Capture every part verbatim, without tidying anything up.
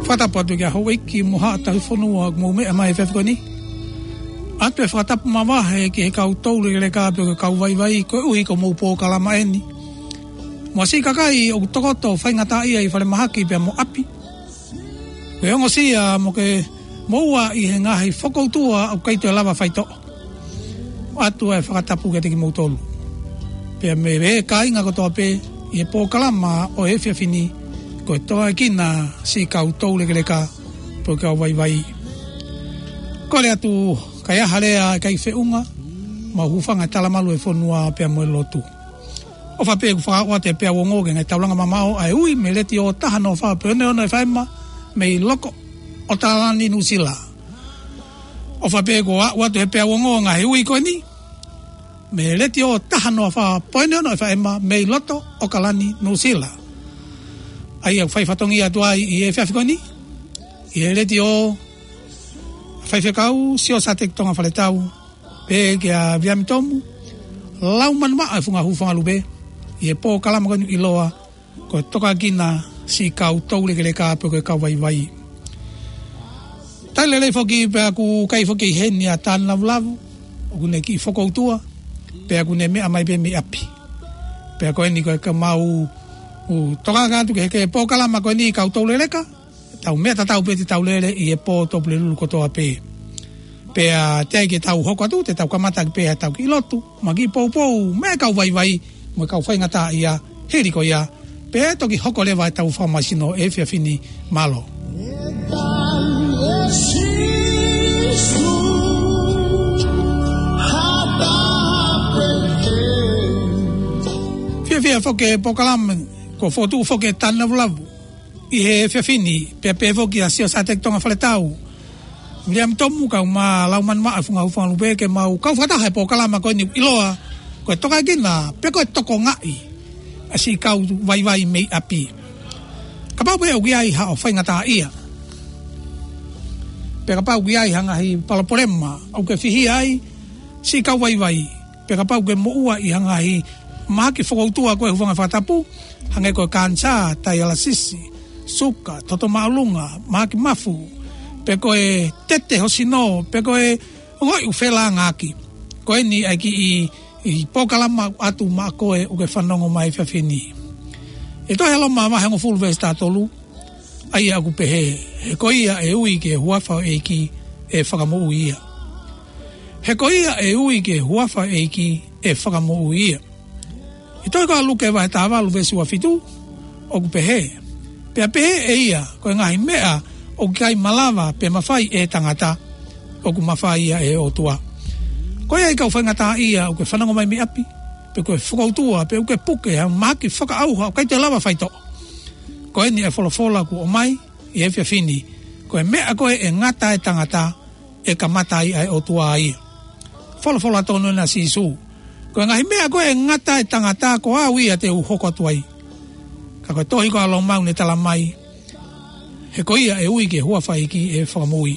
Fakatapu atu ki he houʻeiki mo haʻa tauhi fonua ʻoku mou meʻa mai he efiafi ko eni. ʻOatu e fakatapu mavahe ki he kau toulekeleka pea ko e kau vaivai koeʻuhi ko hoʻomou polokalama eni. Mo e siʻi kakai ʻoku tokoto faingataʻaʻia ʻi falemahaki pea mo ʻapi. Ke ongosia mo ke moʻua ʻi he ngaahi fokoutua ʻoku ʻikai toe lava faitoʻo. ʻOatu e fakatapu kiate kimoutolu. Pea mo e kāinga kotoa pē ʻi he polokalama ʻo e efiafi ni, ko e Tokaʻi Kina Siʻi Kau Toulekeleka pea ko e Kau Vaivai. Kole atu, ka ʻi ai ha lea ʻe ʻikai feʻunga, mou hūfanga he talamalu ʻo e fonua pea mo e lotu. ʻOfa pē ʻoku fakaaʻu atu e peau ongo ki he ngaahi taulanga mamaʻo ʻa e ui mei he Letiō taha noa fā poini ono F M mei Loko, ʻOkalani, Nuʻusila. ʻOfa pē kuo aʻu atu he peau ongo e ngaahi ui ko eni mei he Letiō taha noa fā poini ono F M mei loto ʻOkalani, Nuʻusila. ʻA ia ʻoku fai fatongia atu ai ʻi he efiafi ko eni ʻi he Letiō, Faifekau Siosiua Sāteki Tonga Faletau, pea kia Viliami Tomu Laumanumaʻa ʻi he funga hūfanga lupe, ʻi he polokalama ko eni ʻiloa ko e Tokaʻi Kina Siʻi Kau Toulekeleka pea ko e Kau Vaivai. Talitali lelei foki pea ʻoku ʻikai foki ʻi heni ʻa Tānavulavu, ʻoku ne kiʻi fokoutua, pea ʻoku ne meʻa mai pē mei ʻapi. Pea ko eni ko e ka mau ʻoku tokanga atu ki he, ki he polokalama ko eni Kau Toulekeleka, tau meʻa tatau pē te tau lele ʻi he pō Tuʻapulelulu kotoa pē. Pea teʻeki ai ke tau hoko atu, te tau kamata ʻaki pē ʻetau kiʻi lotu, mo e kiʻi poupou mei he kau vaivai mo e kau faingataʻaʻia, hili ko ia pea toki hoko leva ʻetau fakamāsino he efiafi ni. Mālō. Fiefia foki e polokalama kuo fokotuʻu foki ʻe Tānavulavu ʻi he efiafi ni, pea pehē foki ʻa Siosiua Sāteki Tonga Faletau, Viliami Tomu kae ʻumaʻā Laumanumaʻa ʻi he funga hūfanga lupe, ke mau kau fakataha he polokalama ko eni ʻiloa ko e Tokaʻi Kina pea ko e Tokangaʻi ʻa e Siʻi Kau Vaivai mei ʻapi. Kapau pē ʻoku ʻi ai haʻo faingataʻaʻia, pea kapau ʻoku ʻi ai ha ngaahi palopalema ʻoku ke fihia ai, siʻi kau vaivai, pea kapau ʻoku ke moʻua ʻi ha ngaahi mahaki fokoutua ko e hūfanga he fakatapu, hangē ko e kanisā, taialasisi, suka, toto māʻolunga, mahaki mafu, pe ko e tete ho sino, pe ko e ongoʻi ʻoku felāngaaki, ko eni ʻa e kiʻi, ʻi he polokalama ʻoatu maʻa koe ʻoku ke fanongo mai he efiafi ni. ʻI he tohi ʻa Loma vahe hongofulu veesi taha tolu, ʻa ia ʻoku pehē: He ko ia ʻe ui ki he huafa ʻo e ʻEiki ʻe fakamoʻui ia. He ko ia ʻe ui ki he huafa ʻo e ʻEiki ʻe fakamoʻui ia. ʻI he tohi ko ia ʻa Luke vahe taha valu veesi ua fitu, ʻoku pehē: Pea pehē ʻe ia, ko e ngaahi meʻa ʻoku ʻikai malava pe mafai ʻe he tangata, ʻoku mafai ia ʻe he ʻOtua. Ko ia, ʻe kau faingataʻaʻia ʻoku ke fanongo mai mei ʻapi, pe ko e fokoutua, pe ʻoku ke puke ha mahaki fakaʻauha ʻoku ʻikai te ke lava faitoʻo, ko eni e folofola kuo ʻomai ʻi he efiafi ni: Ko e meʻa ko ē ʻe ngata ai e tangata, ʻe kamata ai ʻa e ʻOtua ia. Folofola tonu ena ʻa Sīsū: Ko e ngaahi meʻa ko ē ʻe ngata ai e tangata, ko au ia te u hoko atu ai. Ka ko e tohi ko ia ʻa Loma ʻoku ne talamai: He ko ia ʻe ui ki he huafa ʻo e ʻEiki ʻe fakamoʻui.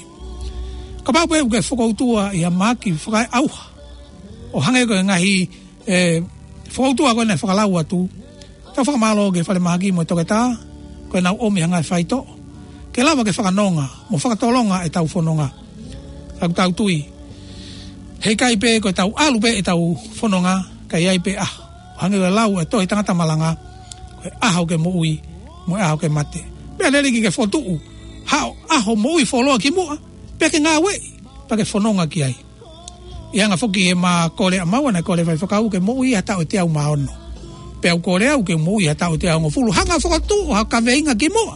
Kapau pē ʻoku ke fokoutua ʻi ha mahaki fakaʻauha, ʻo hangē ko e ngaahi, ē, fokoutua ko ē naʻe fakalau atu, tau fakamālō ki he falemahaki mo e toketā ko ē naʻa nau ʻomi ha ngaahi faitoʻo ke lava ke fakanonga mo fakatolonga ʻetau fononga. Ka ʻoku tau tui, heʻikai pē ko ʻetau ʻalu pē ʻetau fononga, ka ʻe ʻi ai pē ʻaho, hangē ko e lau ʻa e tohi Tangata Malanga: Ko e ʻaho ke moʻui, mo e ʻaho ke mate. Meʻa lelei ke ke fokotuʻu haʻo ʻaho moʻui fuoloa kimuʻa, pea ke ngāueʻi, pea ke fononga ki ai. ʻI he anga foki ʻema kole ʻamaua, naʻe kole e faifekau ke moʻui ha taʻu ʻe teau mā ono. Pea u kole au ke moʻui ha taʻu ʻe teau hongofulu. Hanga ʻo fokotuʻu ha kaveinga kimuʻa,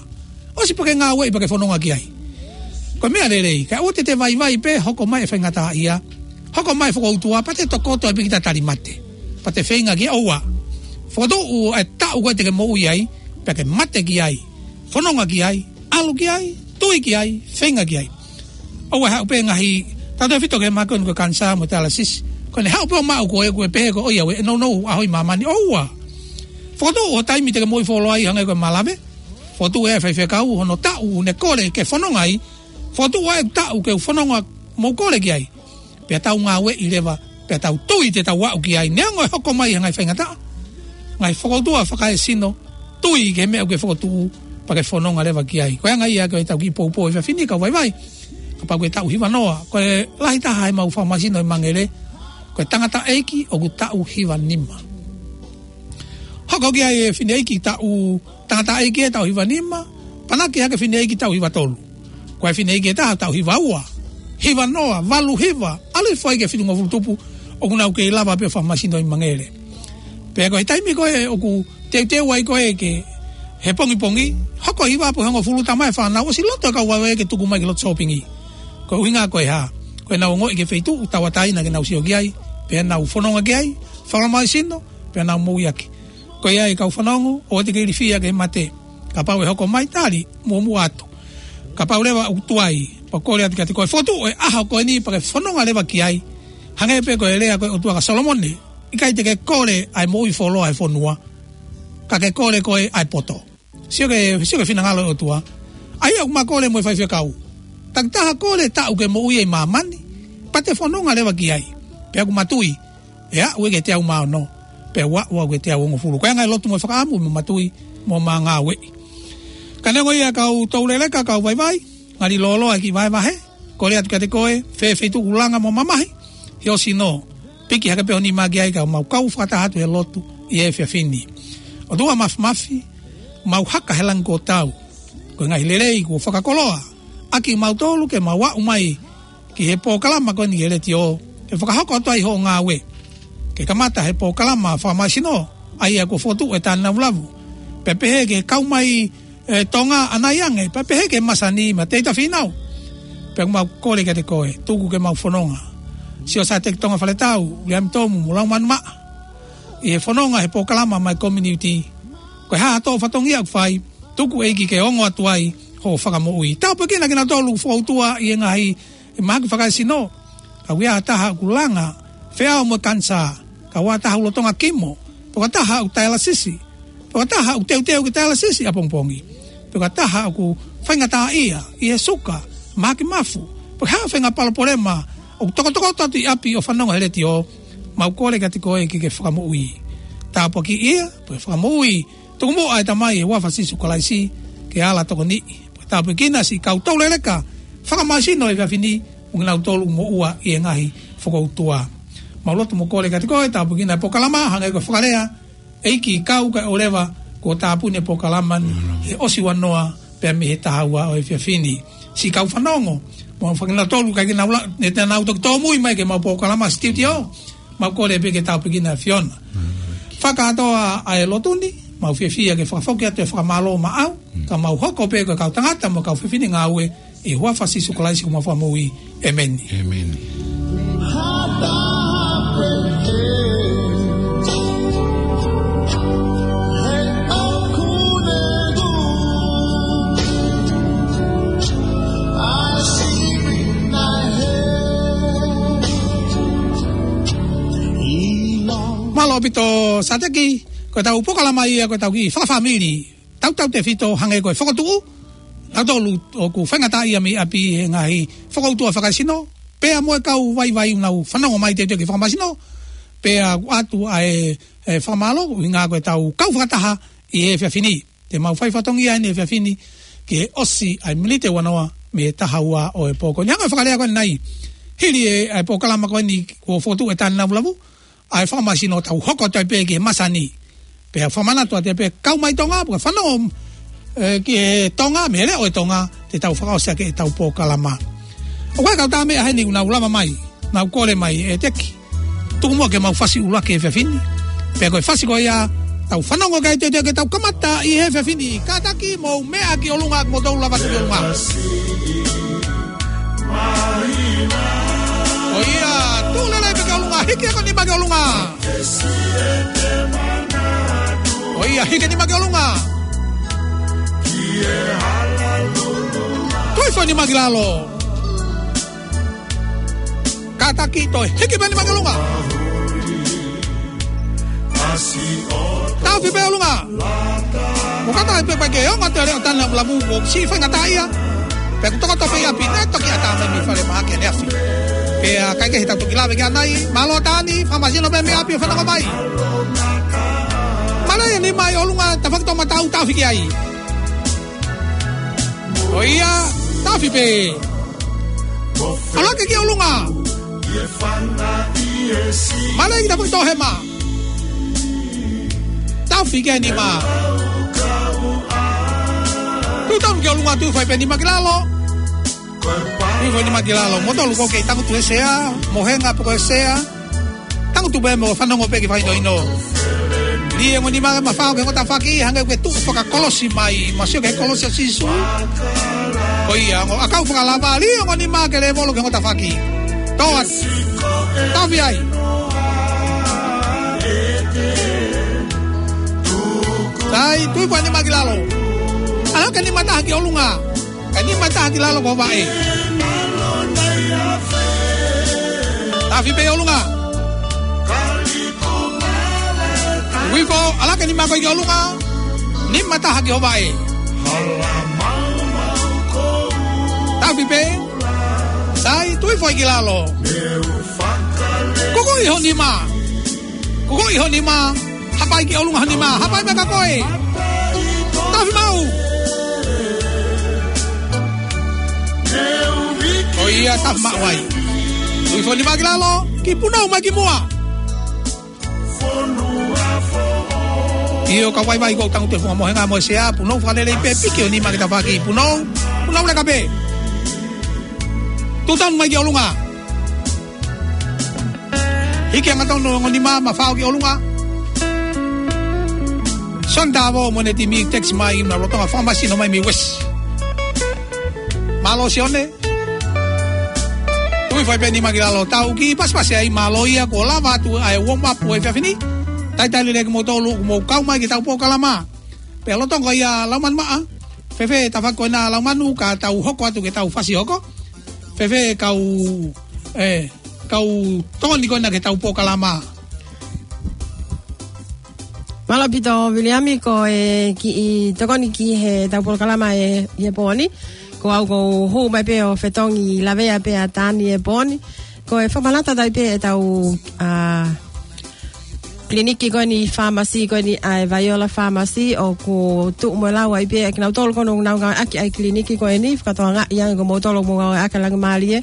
ʻosi pea ke ngāueʻi pea ke fononga ki ai. Ko e meʻa lelei, kae ʻoua te te vaivai pē hoko mai e faingataʻaʻia, hoko mai e fokoutua, pea te tokoto ai pē kita tali mate, pea te feinga ki ai. ʻOua. Fokotuʻu e taʻu ko ē te ke moʻui ai, pea ke mate ki ai, fononga ki ai, ʻalu ki ai, tui ki ai, feinga ki ai. ʻOua ʻe haʻu pē ngaahi, tautautefito ki he mahaki ko eni ko e kanisā mo e taialasisi, Ko ʻene haʻu pē ʻo maʻu ko ē, ko e pehē ko ē ʻoku ʻi ai e nounou ʻaho ʻi māmani. ʻOua. Fokotuʻu ho taimi te ke moʻui fuoloa ai hangē ko e malave. Fokotuʻu e faifekau hono taʻu ʻoku ne kole ke fononga ai. Fokotuʻu ʻa e taʻu ke u fononga mo kole ki ai. Pea tau ngāueʻi leva, pea tau tui te tau aʻu ki ai. Neongo e hoko mai ha ngaahi faingataʻa, ngaahi fokoutua fakaesino, tui ki he meʻa ʻoku ke fokotuʻu, pea ke fononga leva ki ai. Ko e anga ia ko ʻetau kiʻi poupou he efiafi ni, kau vaivai. Kapau ko e taʻu hiva noa, ko e lahi taha ʻemau fakamāsino ʻi Mangere, ko e tangataʻeiki ʻoku taʻu hiva nima. Hoko ki ai e fineʻeiki taʻu, tangataʻeiki ʻe taʻu hiva nima, panaki hake fineʻeiki taʻu hiva tolu. Ko e fineʻeiki ʻe taha taʻu hiva ua, hiva noa, valu hiva, ʻalu hifo ai ki he fitungofulu tupu, ʻoku nau kei lava pē ʻo fakamāsino ʻi Mangere. Pea ko e taimi ko ē ʻoku teuteu ai ko ē ke he pongipongi, hoko hiva pe hongofulu, talamai ʻe he fānau, ʻosi loto e kau vaivai ke tuku mai ki loto sōpingi. Ko e ʻuhinga ko e hā? Ko ʻenau ongoʻi ki he feituʻu tauʻatāina ke nau sio ki ai, pea nau fononga ki ai, fakamāsino, pea nau moʻui ʻaki. Ko ia e kau fanongo, ʻoua te ke ilifia ki he mate. Kapau ʻe hoko mai, tali muʻomuʻa atu. Kapau leva ʻoku tuai, pea kole atu kiate koe, fokotuʻu e ʻaho ko eni pea ke fononga leva ki ai. Hangē pē ko e lea ko ē ʻa e ʻOtua kia Solomone, ʻikai te ke kole ʻa e moʻui fuoloa ʻa e fonua, ka ke kole koe ʻa e poto. Sio ki he, sio ki he finangalo ʻo e ʻOtua. ʻA ia ʻoku ma kole mo e faifekau. Takitaha kole taʻu ke moʻui ai ʻi māmani, pea te fononga leva ki ai. Pea ʻoku ma tui, ʻe aʻu ia ki he teau mā ono, pea ʻe aʻu ia ki he teau hongofulu. Ko e anga e lotu mo e fakaʻamu, mo ma tui, mo ma ngāueʻi. Ka neongo ia, kau touleleka, kau vaivai, ngali lōloa e kiʻi vahevahe, kole atu kiate koe, fē feituʻu ʻoku langa mo mamahi, he ʻosi nō, piki hake pē ho nima ki ai, ka mau kau fakataha atu he lotu ʻi he efiafi ni. ʻOtua Māfimafi, mau haka he langi kuo tau, ko e ngaahi lelei kuo fakakoloa ʻaki kimautolu ke mau aʻu mai ki he polokalama ko eni he letiō, ke fakahoko atu ai hoʻo ngāue. Ke kamata he polokalama fakamāsino, ʻa ia kuo fokotuʻu ʻe Tāne Lavulavu. Pea pehē ki he kau mai ʻe Tonga ʻanai ange, pea pehē ki he masani mo e teita fīnau. Pea ʻoku mau kole kiate koe, tuku ke mau fononga. Sio Sateki Tonga Faletau, Uliami Tomu, mo Laumanu Maʻa. ʻI he fononga he polokalama mai community. Ko e hā ha tō fatongia ʻoku fai, tuku ʻEiki ke ongo atu ai hoʻo fakamoʻui. Tāpuekina kinautolu fokoutua ʻi he ngaahi ʻi he mahaki fakaesino. Ka ʻoku ʻi ai ha taha ʻoku langa feʻao mo e kanisā. Ka ʻoku ʻi ai ha taha ʻoku lolotonga kimo. Pe ko ha taha ʻoku taialasisi. Pe ko ha taha ʻoku teuteu ke taialasisi ʻapongipongi. Pe ko ha taha ʻoku faingataʻaʻia ʻi he suka, mahaki mafu. Pe ko ha faʻahinga palopalema ʻoku tokotokoto atu ʻi ʻapi ʻo fanongo he letiō. Mau kole kiate koe ke ke fakamoʻui. Tāpuakiʻi ia, pea fakamoʻui. Tuku muʻa ʻe Tamai ʻi he huafa ʻo Sīsū Kalaisi, ke ala tokoniʻi. Pea tāpuekina siʻi kau touleleka fakamāsino he efiafi ni, mo kinautolu ʻoku moʻua ʻi he ngaahi fokoutua. Mau lotu mo kole kiate koe, tāpuekina e polokalama, hangē ko e fakalea ʻa e ʻEiki, kau kae ʻoua leva kuo tāpuni e polokalama ni, he ʻosi ua noa pē mei he taha ua ʻo e efiafi ni. Siʻi kau fanongo, mo fakakinautolu ʻikai ke nau la-, ne te nau toki tōmui mai ki heʻemau polokalama studio. Mau kole pē ke tāpuekina ʻe Fiona. Fakakātoa ʻa e lotu ni, mau fiefia ke fakafoki atu e fakamālō maʻau, ka mau hoko pē ko e kau tangata mo e kau fefine ngāue, ʻi he huafa ʻo Sīsū Kalaisi ko homau Fakamoʻui. ʻĒmeni. ʻĒmeni. Mālō ʻaupito Sateki, ko ʻetau polokalama ia, ko ʻetau kiʻi fakafāmili tautautefito hangē ko e fokotuʻu, nautolu ʻoku faingataʻaʻia mei ʻapi he ngaahi fokoutua fakaesino, pea mo e kau vaivai ʻoku nau fanongo mai teuteu ki he fakamāsino, pea ʻoatu ʻa e, e fakamālō, ʻuhinga ko ʻetau kau fakataha ʻi he efiafi ni. Te mau fai fatongia ʻi he efiafi ni, ke ʻosi ʻa e miniti ua noa mei he taha ua ʻo e pō ko eni. Hangē ko e fakalea ko eni, hili e, e polokalama ko eni kuo fokotuʻu ʻe Tāne Lavulavu, ʻa e fakamāsino, tau hoko atu ai pē ki he masani. Pea fakamanatu atu ai pē kau mai Tonga, pea fanongo, e, ki he Tonga, mei he leʻo ʻo e Tonga, te tau fakaʻosi ʻaki ʻetau polokalama. ʻOku ʻi ai e kau tā meʻa heni ʻoku nau lava mai, nau kole mai ʻe Teki. Tuku muʻa ke mau fasi ʻuluaki he efiafi ni. Pea ko e fasi ko ia, tau fanongo ki ai teuteu ke tau kamata ʻi he efiafi ni. Kātaki mou meʻa ki ʻolunga, mou tau lava ki ʻolunga. ʻOia, tuʻu lelei pē ki ʻolunga, hiki e nima ki ʻolunga. ʻOia, hiki e nima ki ʻolunga. Tuʻu foʻi nima ki lalo. Kātaki, toe hiki pē nima ki ʻolunga. Taofi pē ʻolunga. Mo kātaki pē pea ke ongo atu e leʻo tana mulamu ko si faingataʻaʻia. Pea kuo tokoto pē ʻi ʻapi, naʻe toki ʻatā mai mei fale mahaki ʻaneafi. Pea ʻikai ke he tau toki lave ki ai. Mālō Tani, fakamasino pē mei ʻapi ʻo fanongo mai. Mālō e nima ʻi ʻolunga, tafaʻaki toʻomataʻu, taofi ki ai. ʻOiauē, taofi pē. ʻAlā ke ki ʻolunga. Mālō e ki tapu tohema. Taofi ki he nima. Tuʻu tonu ki ʻolunga, tuʻu fai pē nima ki lalo. Tuʻu fai nima ki lalo. Mou tolu ʻoku kei tangutu he sea, mohenga pe ko e sea. Tangutu pē mo fanongo pē ki he fakahinohino. Lī e ongo nima ke mafao ki he ongo tafaʻaki, hangē ko e tuʻu fakakolosi mai, mo sio ki he kolosi ʻo Sīsū. Ko ia, ongo ʻakau fakalava, lī e ongo nima ke lēvolo ki he ongo tafaʻaki. Toa, taofi ai. Sai, tuʻu fai nima ki lalo. ʻAlā ke nima taha ki ʻolunga. Kae nima taha ki lalo ko e vaʻe. Taofi pē ʻolunga. Uifo, ʻalā ke nima koe ki ʻolunga. Nima taha ki ho vaʻe. Taofi pē. Sai, tuʻu hifo ki lalo. Kukuʻi ho nima. Kukuʻi ho nima. Hapai ki ʻolunga ho nima, hapai mai ka koe. Taofi maʻu. ʻOiauē, taofi maʻu ai. Tuʻu hifo nima ki lalo, kiʻi punou mai ki muʻa. ʻIo, ka vaivai ko e tangutu he funga mohenga mo e sea, punou fakalelei pē, piki ho nima ki tafaʻaki, punou, punou leka pē. Tuʻu tonu mai ki ʻolunga. Hiki angatonu e ongo nima, mafao ki ʻolunga. Sione Tavo mo ʻene timi text mai, na lolotonga fakamasino mai mei West. Mālō Sione. Tuʻu hifo pē nima ki lalo, tau kiʻi pasipasi ai, mālō ia kuo lava atu ʻa e warm up ʻo e efiafi ni. Talitali lelei kimoutolu kuo mou kau mai ki heʻetau polokalama. Pea lolotonga ia Laumanu Maʻa. Fēfē tafaʻaki ko ena Laumanu, ka tau hoko atu ki heʻetau fasi hoko. Fēfē kau, ē, kau tokoni ko ena ki heʻetau polokalama. Mālō ʻaupito Viliami, ko e kiʻi tokoni ki heʻetau polokalama ʻi he pō ni. Ko au ʻoku ou hū mai pē ʻo fetongi lavea pē ʻa Tani he pō ni. Ko e fakamanatu atu ai pē ʻetau, ā, kiliniki ko eni, fāmasi ko eni ʻa e Vaiola Fāmasi, ʻoku tuʻu mo lau ai pē ʻa kinautolu ko ē ʻoku nau ngāueʻaki ʻa e kiliniki ko eni, fakatokangaʻi ange ko moutolu ʻoku mou ngāueʻaki ʻa e Langimālie,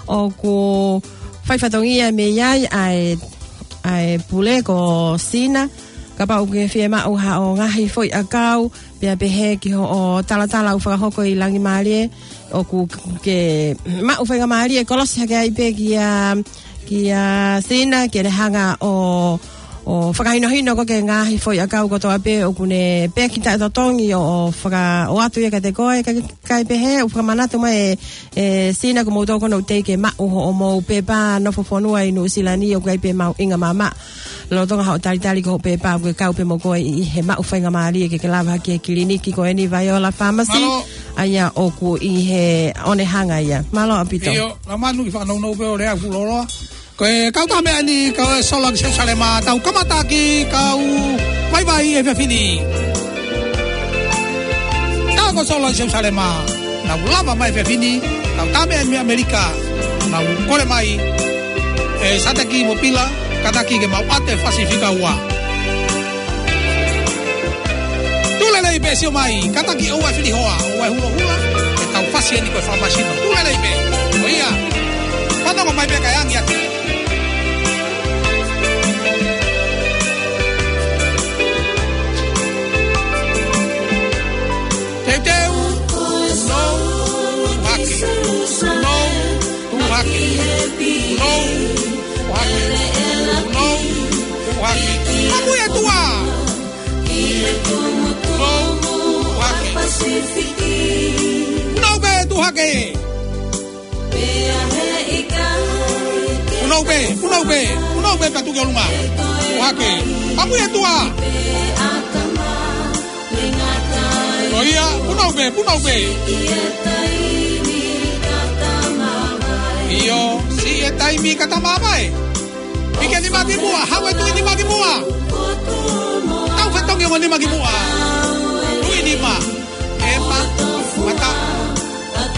ʻoku fai fatongia mei ai ʻa e, ʻa e pule ko Sina, kapau ʻoku ke fiemaʻu haʻo ngaahi foʻi ʻakau, pea pehē ki hoʻo talatala ʻoku fakahoko ʻi Langimālie, ʻoku ke maʻu faingamālie kolosi hake ai pē kia, kia Sina, ke ne hanga ʻo, ʻo fakahinohino koe ki he ngaahi foʻi ʻakau kotoa pē ʻoku ne peki taʻetotongi ʻo, ʻo faka-, ʻoatu ia kiate koe, ka, kae pehē, ʻoku fakamanatu mai ʻe, ʻe Sina ko moutolu ko ē ʻoku teʻeki ke maʻu hoʻomou pepa nofo fonua ʻi Nuʻusila ni, ʻoku ʻi ai pē mahuʻinga maʻamaʻa lolotonga haʻo talitali ki hoʻo pepa, ʻoku ke kau pē mo koe ʻi he maʻu faingamālie ke ke lava hake ki he kiliniki ko eni Vaiola Fāmasi. Mālō. ʻA ia ʻoku ʻi he Onehunga ia. Mālō ʻaupito. ʻIo, Laumanu, kiʻi fakanounou pē ʻo lea fuʻu lōloa. Ko e kau taha meʻa eni, kau e Sola ki Selusalema, tau kamata ki he kau vaivai he efiafi ni. Kau ko e Sola ki Selusalema, nau lava mai he efiafi ni, kau taha meʻa eni mei ʻAmelika, nau kole mai, ē, Sateki mo Pila, kātaki ke mau ʻoatu e fasi fika ua. Tuʻu lelei pē, sio mai, kātaki ʻoua ʻe fili hoa, ʻoua ʻe hulohula, ʻetau fasi eni ko e fakamasino. Tuʻu lelei pē, ʻoiauē, fanongo mai pē kae angi atu. Teuteu, no, hake, no, Tuʻu hake. Punou. Tuʻu hake. Punou. Tuʻu hake. Makuʻi ʻa tuʻa. Punou. Tuʻu hake. Punou pē, tuʻu hake. Punou pē, punou pē, punou pē pea tuʻu ki ʻolunga. Tuʻu hake. Makuʻi ʻa tuʻa. ʻOiauē, punou pē, punou pē. ʻIo, siʻi e taimi ka tau maʻu mai. Piki e nima ki muʻa, haʻu e tuʻi nima ki muʻa. Tau fetongi ongo nima ki muʻa. Tuʻi nima. ʻEma, mata.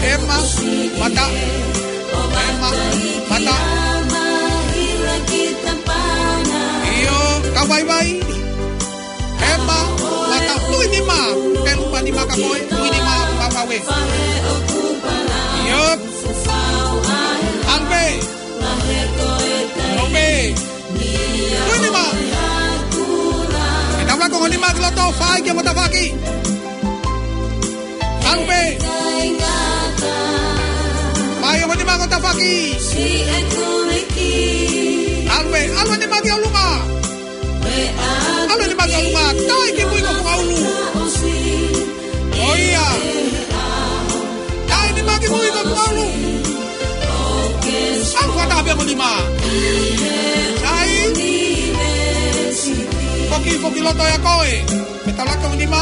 ʻEma, mata. ʻEma, mata. ʻIo, kau vaivai. ʻEma, mata, tuʻi nima. Pelu ma nima ka koe, tuʻi nima, papa we. ʻIo. ʻAlu pē. ʻAlu pē. Tuʻi nima. ʻE tau laka ongo nima ki loto, fai ki ongo tafaʻaki. ʻAlu pē. Fai ongo nima ongo tafaʻaki. ʻAlu pē. ʻAlu e nima ki ʻolunga. ʻAlu e nima ki ʻolunga. Taʻi ki mui ko e fukaʻulu. ʻOia. Taʻi e nima ki mui ko e fukaʻulu. ʻAlu fakataha pē mo e nima. Taʻi. Foki, foki loto ia ko ē. Pea tau laka ongo nima.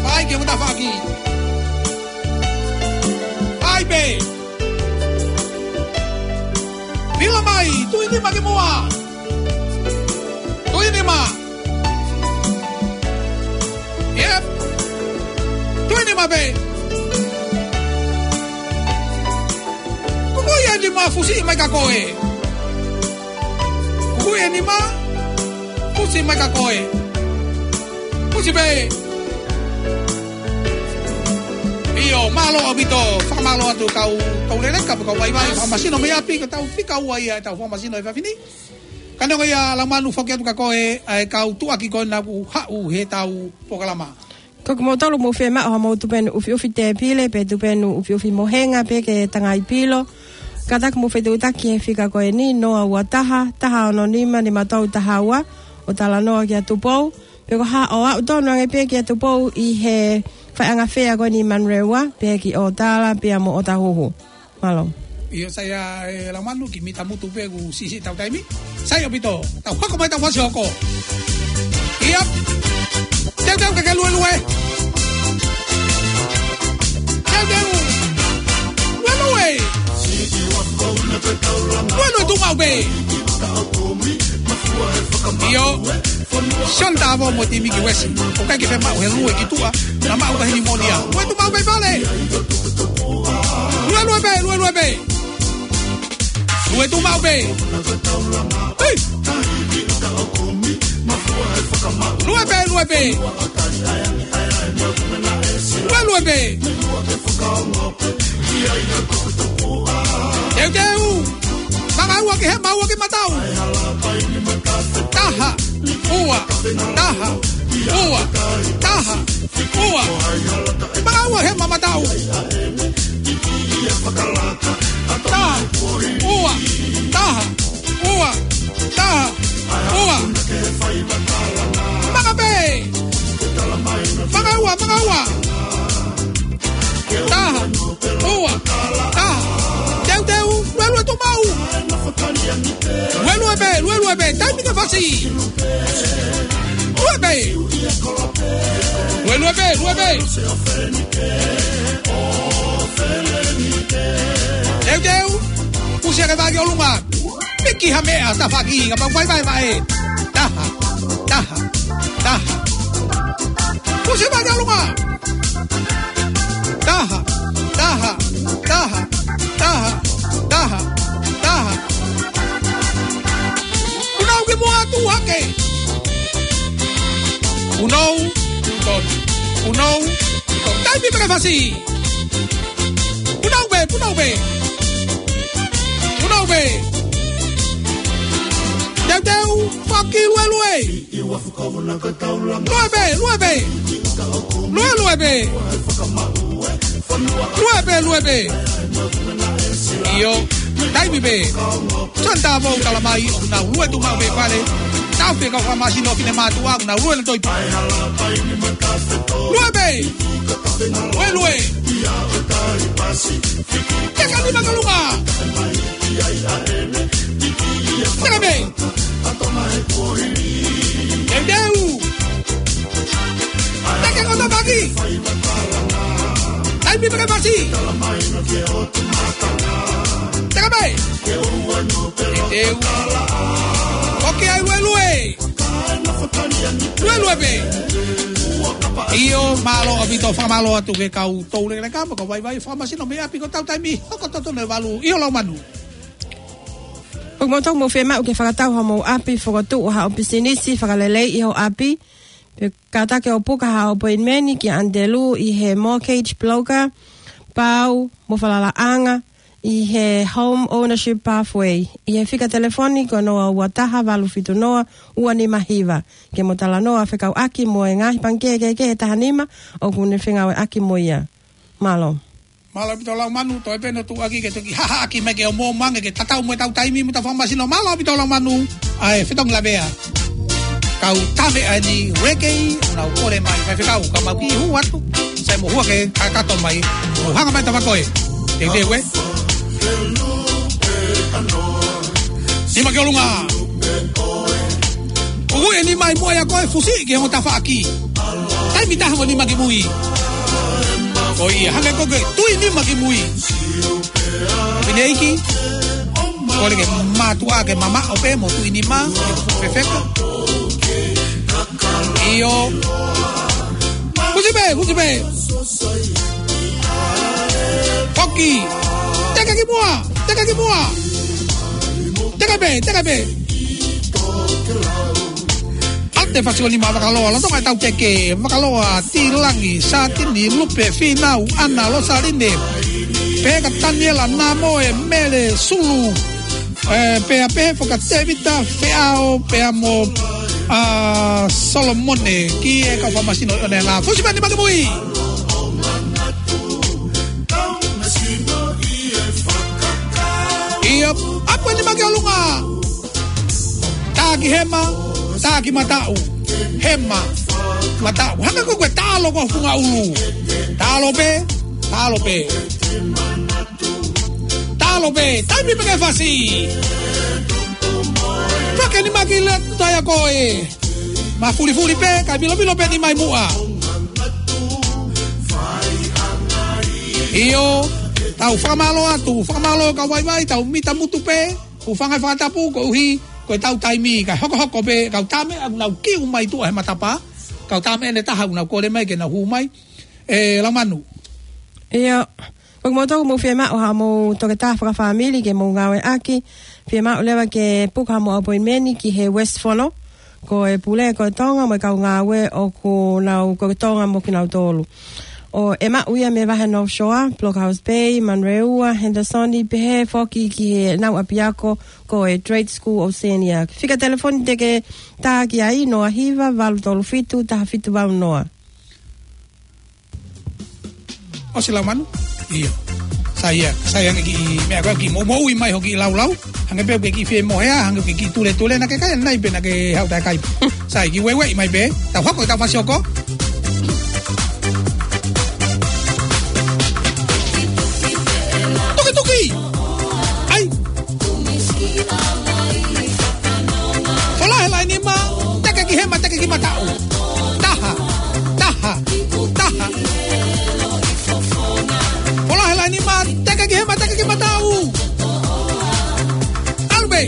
Fai ki ongo tafaʻaki. Fai pē. Pila mai, tuʻi nima ki muʻa. Tuʻi nima. Yep. Tuʻi nima pē. Kuku ia nima fusi mai ka koe. Kuku ia nima fusi mai ka koe. Fusi pē. ʻIo, mālō ʻaupito, fakamālō atu kau, kau leleka, kau vaivai, fakamasino mei ʻapi, ko ʻetau fika ua ia ʻetau fakamasino he efiafi ni. Ka neongo ia Laumanu foki atu kia koe, ʻa e kau tuʻuaki ko ena kuo haʻu heʻetau polokalama. Ko kimoutolu mou fiemaʻu haʻamou tupenu ʻufiʻufi tēpile, pe tupenu ʻufiʻufi mohenga, pe ke tangai pilo. Kātaki mou fetuʻutaki he fika ko eni, noa ua taha, taha ono nima, nima tolu taha ua, ʻo talanoa kia Tupou. Pe ko ha ʻo aʻu tonu ange pē kia Tupou ʻi he faiʻanga fea ko eni ʻi Manurewa, pea ki ʻOtala, pea mo ʻOtahuhu. Mālō. ʻIo, sai ia, ē, Laumanu, kiʻi mita mutu pē kuo siʻisiʻi ʻetau taimi. Sai ʻaupito, tau hoko mai ʻetau fasi hoko. ʻIo. Teuteu ke ke luelue. Teuteu. Luelue. Luelue tuʻu maʻu pē. ʻIo. Sione Tavo mo e timi ki Uesi. ʻOku ʻikai ke fiemaʻu he lue ki tuʻa. Naʻa maʻu ka heni molia. Lue tuʻu maʻu pē pale. Lue, lue pē, lue, lue pē. Lue tuʻu maʻu pē. Hei. Lue pē, lue pē. Lue, lue pē. Teuteu. Manga ua ki hema, ua ki mataʻu. Taha, ua, taha, ua, taha, ua. Manga ua hema mataʻu. Taha, ua, taha, ua, taha, ua. Manga pē. Manga ua, manga ua. Taha, ua, taha. Teuteu, luelue tuʻu maʻu. Luelue pē, luelue pē, taimi ke fasi. Lue pē. Luelue pē, lue pē. Teuteu, fusi ake vā ki ʻolunga. Piki ha meʻa, tafaʻaki, kapau vaivai vaʻe. Taha, taha, taha. Fusi mai ki ʻolunga. Taha, taha, taha, taha, taha, taha. Punou ki muʻa, tuʻu hake. Punou, tonu. Punou, tonu. Taimi pē ke fasi. Punou pē, punou pē. Punou pē. Teuteu, faki luelue. Lue pē, lue pē. Lue, lue pē. Lue pē, lue pē. ʻIo, taimi pē. Sione Tavo ʻoku tala mai ʻoku nau lue tuʻu maʻu pē pale. Tau pē kau fakamasino finemātuʻa ʻoku nau lue na toi. Lue pē. Lue, lue. Teka nima ki ʻolunga. Teka pē. Teuteu. Teka ko tapaki. Taimi pē ke fasi. Teka pē. ʻEu. ʻOku ʻi ai Luelue. Luelue pē. ʻIo, mālō ʻaupito, fakamālō atu ki he kau toulekeleka mo e kau vaivai fakamasino mei ʻapi, ko ʻetau taimi hoko totonu ʻe valu. ʻIo, Laumanu. ʻOku mou tau mou fiemaʻu ke fakatau haʻamou ʻapi, fokotuʻu haʻo pisinisi, fakaleleiʻi hoʻo ʻapi. Pea kātaki ʻo puka haʻo appointment ki ʻAnitelū ʻi he mortgage broker, pau mo falalaʻanga ʻi he Home Ownership Pathway. ʻI he fika telefoni ko e noa ua taha valu fitu noa ua nima hiva. Ke mo talanoa fekauʻaki mo e ngaahi pangikē kehekehe ʻe taha nima ʻoku ne fengāueʻaki mo ia. Mālō. Mālō ʻaupito Laumanu, toe pē ʻo tuʻuaki ke toki hahaʻaki mai ke ʻoua ʻe mou mangi ke tatau mo ʻetau taimi mo ʻetau fakamasino. Mālō ʻaupito Laumanu, ʻa e fetongi lavea. Kau tame ʻa eni Rekei, nau kole mai, faifekau, ka mau kiʻi hū atu, sai mo hua ke kakato mai, ʻo hanga mai tava koe. Teu teu ē. Nima ki ʻolunga. Kuku e nima ʻi muʻa ia ko e fusi ki he ongo tafaʻaki. Taimi taha mo nima ki mui. Ko ia, hangē ko e tui nima ki mui. Fineʻeiki. Kole ke mātuʻa ke mamaʻo pē mo tui nima. Fefeka. ʻIo. Fusi pē, fusi pē. Foki. Teke ki muʻa, teke ki muʻa. Teke pē, teke pē. ʻAte fasi o nima Vakaloa, Lolotonga ʻetau Keke, Vakaloa, Tilangi, Satini, Lupe, Finau, Ana, Losaline, Peka, Taniela, Namoe, Mele, Sulu, ē, pea pehē foki ʻa Tevita, Feʻao, pea mo, ʻa, Solomone, ki he kau fakamasino ʻi ʻOneʻanga. Fusi pē nima ki mui. ʻIo, ʻapu e nima ki ʻolunga. Tā ki hema, tā ki mataʻu. Hema, mataʻu. Hangē ko e taʻalo ko e funga ʻulu. Taʻalo pē, taʻalo pē. Taʻalo pē, taimi pē ke fasi. Fake nima ki le toia ko e. Mafulifuli pē, kae milomilo pē nima ʻi muʻa. ʻIo, tau fakamālō atu, fakamālō kau vaivai, tau mita mutu pē, hūfanga he fakatapu, koeʻuhi ko ʻetau taimi, kae hokohoko pē, kau tame, ʻoku nau kiu mai tuʻa he matapā, kau tame ʻe taha, ʻoku nau kole mai, ke nau hū mai, ē, Laumanu. ʻIo, ʻoku mou tau mou fiemaʻu haʻamou toketā fakafāmili ke mou ngāueʻaki, fiemaʻu leva ke puka haʻamou appointment ki he West Fono, ko e pule ko e Tonga mo e kau ngāue ʻoku nau ko e Tonga mo kinautolu. ʻOku maʻu ia mei he vahe North Shore, Blockhouse Bay, Manurewa, Henderson, pehē foki ki heʻenau ʻapiako ko e Trade School Oceania. Fika telefoni te ke tā ki ai, noa hiva, valu tolu fitu, taha fitu valu noa. ʻOsi Laumanu? ʻIo. Sai ia, sai ange kiʻi meʻa ko e kiʻi mo, moʻui mai hoʻo kiʻi laulau. Hangē pē ʻoku ke kiʻi fie mohea, hangē ʻoku ke kiʻi tuletule, naʻa ke kai ʻanenai pe naʻa ke haʻu taʻe kai. Sai kiʻi ueue mai pē, tau hoko ʻetau fasi hoko. Tukituki! ʻAi! Fola he laine nima, teke ki hema, teke ki mataʻu. Taha, taha, taha. Fola he laine nima, teke ki hema, teke ki mataʻu. ʻAlu pē.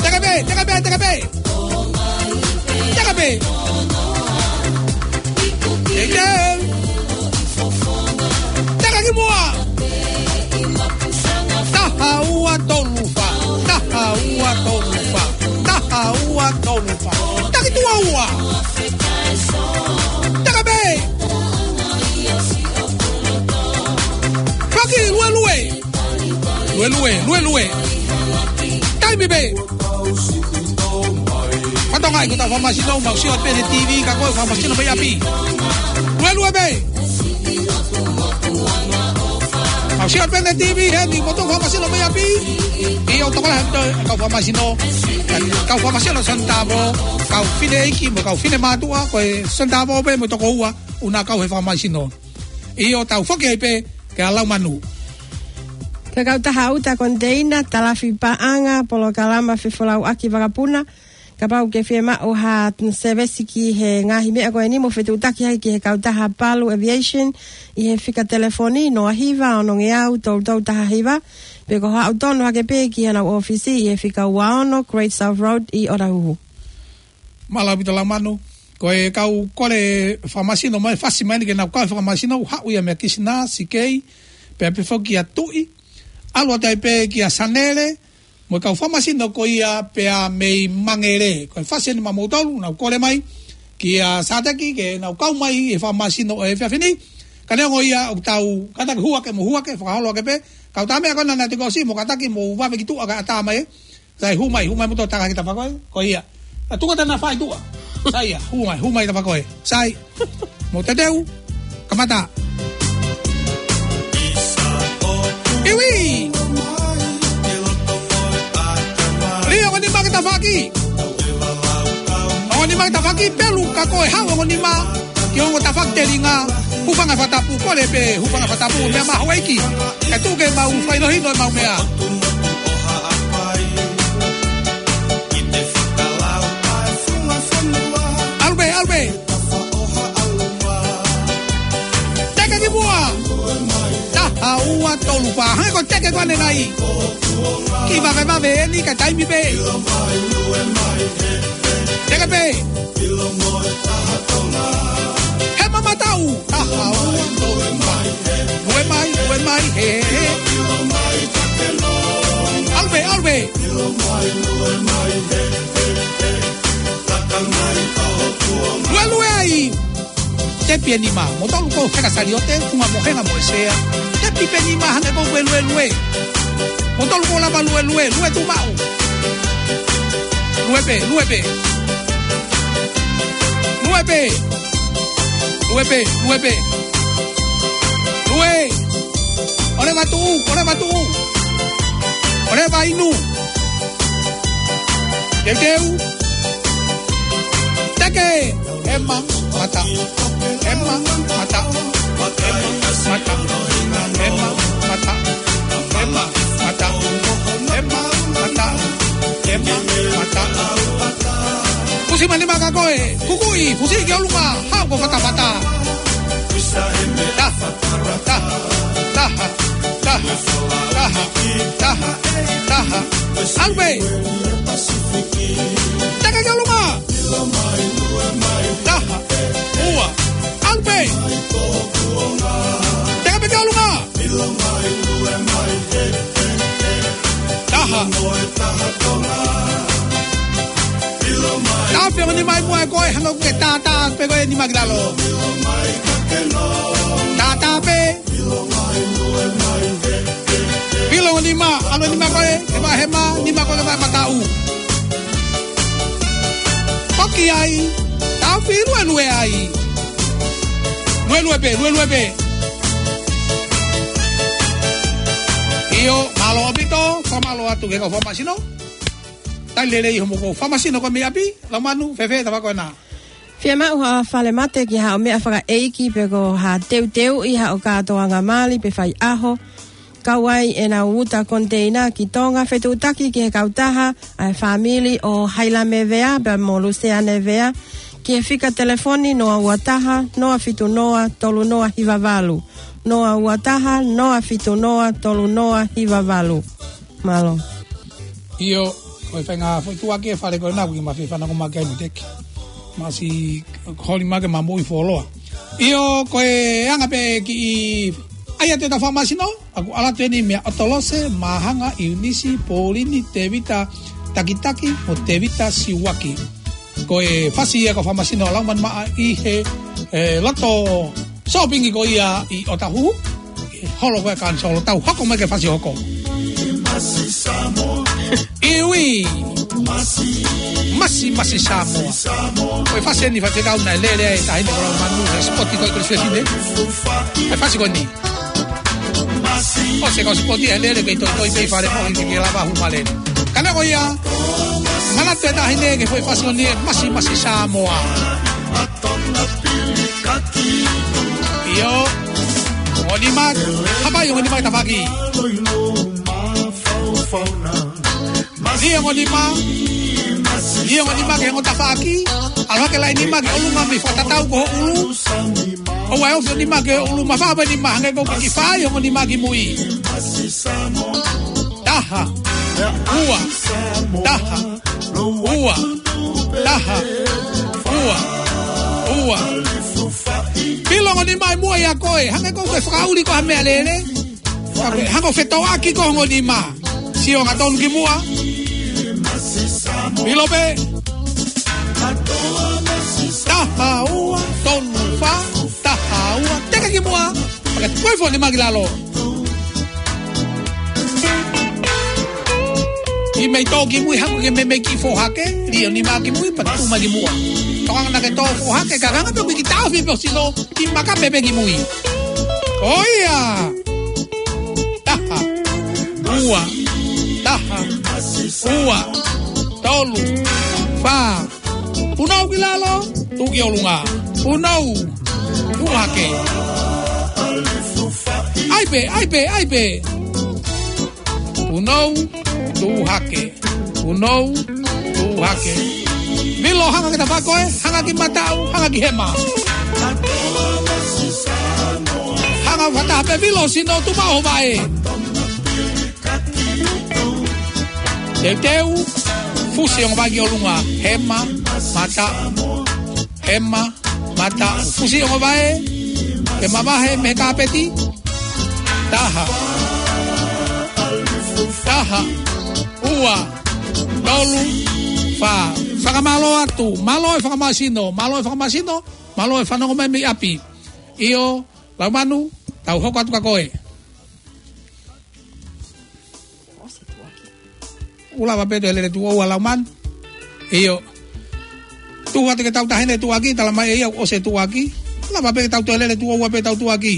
Teke pē, teke pē, teke pē. Teke pē. Teke. Teke ki muʻa. Taha ua tolu fā. Taha ua tolu fā. Taha ua tolu fā. Taki tuʻa ua. Teke pē. Faki, luelue. Luelue, luelue. Taimi pē. Fatongia ʻi hotau fakamasino, mau sio pē he T V, ka ko e fakamasino mei ʻapi. Luelue pē. Mau sio pē he T V, heni mo hotau fakamasino mei ʻapi. ʻIo, tokolahi ʻetau fakamasino. Kau fakamasino Sonotavao, kau fineʻeiki mo kau finemātuʻa, ko e Sonotavao pē mo e toko ua, ʻoku nau kau he fakamasino. ʻIo, tau foki ai pē, kia Laumanu. Ki he kautaha ʻuta koniteina, talafi paʻanga, polokalama fefolauʻaki vakapuna, kapau ʻoku ke fiemaʻu ha sēvesi ki he ngaahi meʻa ko eni mo fetuʻutaki ai ki he kautaha Palu Aviation, ʻi he fika telefoni, noa hiva, ono ngeau, tolu tolu taha hiva, Pe ko haʻu tonu hake pē ki heʻenau ʻōfisi ʻi he fika ua ono Great South Road ʻi ʻOtahuhu. Mālō ʻaupito Laumanu. Ko e kau kole fakamasino mai, fasi mai eni ke nau kau fakamasino, haʻu ia meia Kisinā, Sikei, pea pehē foki kia Tuʻi, ʻalu atu ai pē kia Sanele, mo e kau fakamasino ko ia pea mei Mangele. Ko e fasi eni maʻamoutolu, nau kole mai kia Sateki, ke nau kau mai he fakamasino ʻo e efiafi ni. Ka neongo ia ʻoku tau kātaki hū hake mo hū hake, fakaholo hake pē. Kau tā meʻa ko ena naʻe tiko si mo kātaki mo vave ki tuʻa kae ʻatā mai. Sai, hū mai, hū mai moutolu, taka ki tafakoe, ko ia. ʻA tuka tana fai tuʻa. Sai ia, hū mai, hū mai tafakoe. Sai. Mo Teteu. Kamata. Iwi. Lī ongo nima ki tafaʻaki. Ongo nima ki tafaʻaki, pelu ka ko e haʻu ongo nima ki ongo tafaʻaki telinga. Hūfanga he fakatapu, kole pē, hūfanga he fakatapu, meʻa mahuʻinga. Kae tuku ke mau fakahinohino ʻemau meʻa. ʻAlu pē, ʻalu pē. Teke ki muʻa. Taha, ua, tolu, fā. Hangē ko e teke ko ʻanenai. Kiʻi vavevave eni ka taimi pē. Teke pē. Hema mataʻu. Taha, ua, tolu, fā. Lue mai, lue mai, he, he, he. ʻAlu pē, ʻalu pē. Luelue ai. Tepi e nima, moutolu ʻoku feka saliote, funga mohenga mo e sea. Tepi pē nima hangē ko e luelue. Moutolu ʻoku lava luelue, lue tuʻu maʻu. Lue pē, lue pē. Lue pē. Lue pē, lue pē. Lue. ʻOleva tuʻu, ʻoleva tuʻu. ʻOleva inu. Teuteu. Teke. Hema mataʻu. Hema mataʻu. Hema mataʻu. Hema mataʻu. Hema mataʻu. Hema mataʻu. Hema mataʻu. Fusi mai nima ka ko e kukuʻi, fusi ki ʻolunga, haʻu ko e fatafata. Taha, taha, taha, taha, taha, taha, taha. ʻAlu pē. Teke ki ʻolunga. Taha, ua, ʻalu pē. Teke pē ki ʻolunga. Taha. Tafe ongo nima ʻi muʻa ʻe koe, hangē ʻoku ke tātā pē koe nima ki lalo. Tātā pē. Pilo ongo nima, ʻalu e nima ko ē, ke vahe ma, nima ko ē ke vahe mataʻu. Poki ai, tafe luelue ai. Luelue pē, luelue pē. ʻIo, mālō ʻaupito, fakamālō atu ki he kau fakamasino. Talitali lelei hoʻomou kau fakamasino ko ē mei ʻapi, Laumanu, fēfē tafaʻaki ko ena. Fiemaʻu ha falemate ki haʻo meʻa fakaʻeiki pe ko ha teuteuʻi haʻo kātoanga mali pe faiʻaho. Kau ai ʻenau uta koniteina ki Tonga, fetuʻutaki ki he kautaha ʻa e fāmili ʻo Hailame Vea pea mo Luseane Vea ki he fika telefoni noa ua taha, noa fitu noa, tolu noa hiva valu. Noa ua taha, noa fitu noa, tolu noa hiva valu. Mālō. ʻIo, ko e faʻahinga foʻi tuʻa ki he fale ko ena ʻoku ke mafai fanongo mai ki ai mo Teki. Masi holi mai ke mamoʻi fuoloa. ʻIo, ko e anga pē kiʻi ʻai atu ʻeta fakamasino, ʻoku ʻalu atu eni meia ʻOtolose, Māhanga, ʻIunisi, Polini, Tevita Takitaki, mo Tevita Siuaki. Ko e fasi ia ko e fakamasino ʻa Laumanu Maʻa ʻi he, ʻe, loto sōpingi ko ia ʻi ʻOtahuhu. Holo ko e kanisolo, tau hoko mai ki he fasi hoko. Iwi. Masi, masi Samoa. Ko e fasi eni faifekau naʻe lele ai e taʻahine ko Laumanu he sipoti ko ē ko e suefine. ʻE fasi ko eni. ʻOsi e kau sipoti ʻe lele ke toitoi pē ʻi fale ko ē ke lava hū male. Ka neongo ia, manatu e taʻahine ki he foʻi fasi ko eni, masi, masi Samoa. ʻIo, ongo nima, hapai ongo nima ki tafaʻaki. Lī ongo nima, lī ongo nima ki he ongo tafaʻaki, ʻalu hake laʻi nima ki ʻolunga mei fakatatau ki ho ʻulu. ʻOua ʻe ofi e nima ki ho ʻulu, mafao e nima hangē ko e kiʻi fai ongo nima ki mui. Taha, ua, taha, ua, taha, ua, ua. Pilo ongo nima ʻi muʻa ʻia koe, hangē ko e fakaʻuli ko ha meʻalele. Hangē ʻoku fetoʻaki ko e ongo nima. Sio angatonu ki muʻa. Pilo pē. Taha, ua, tolu, fā, taha, ua. Teka ki muʻa. Pea ke tuku e foʻi nima ki lalo. Kiʻi meimei tō ki mui, haʻu ke meimei kiʻi foʻohake, lī e nima ki mui, pea tuku mai ki muʻa. Tokanga naʻa ke tō foʻohake, ka hanga pē ʻoku ke kiʻi taʻofi pē ʻo sino, kiʻi maka pē pē ki mui. ʻOia! Taha, ua, taha, ua, tolu, fā, punou ki lalo, tuʻu ki ʻolunga. Punou, tuʻu hake. ʻAi pē, ʻai pē, ʻai pē. Punou, tuʻu hake. Punou, tuʻu hake. Pilo, hanga ki tafaʻaki ko ē, hanga ki mataʻu, hanga ki hema. Hanga fakataha pē, pilo, sino tuʻu maʻu ho vaʻe. Teuteu, fusi ongo vaʻe ki ʻolunga, hema, mataʻu, hema, mataʻu, fusi ongo vaʻe, ke mavahe mei he kāpeti, taha, taha, ua, tolu, fā, fakamālō atu, mālō e fakamāsino, mālō e fakamāsino, mālō e fanongo mai mei ʻapi. ʻIo, Laumanu, tau hoko atu kia koe. ʻOsi e tuʻuaki. ʻOku lava pē toe lele tuʻo ua Laumanu. ʻIo. Tuʻu atu ke tau taʻahine tuʻuaki, talamai ʻe ia ʻoku ʻosi e tuʻuaki. Lava pē ke tau toe lele tuʻo ua pē ʻetau tuʻuaki.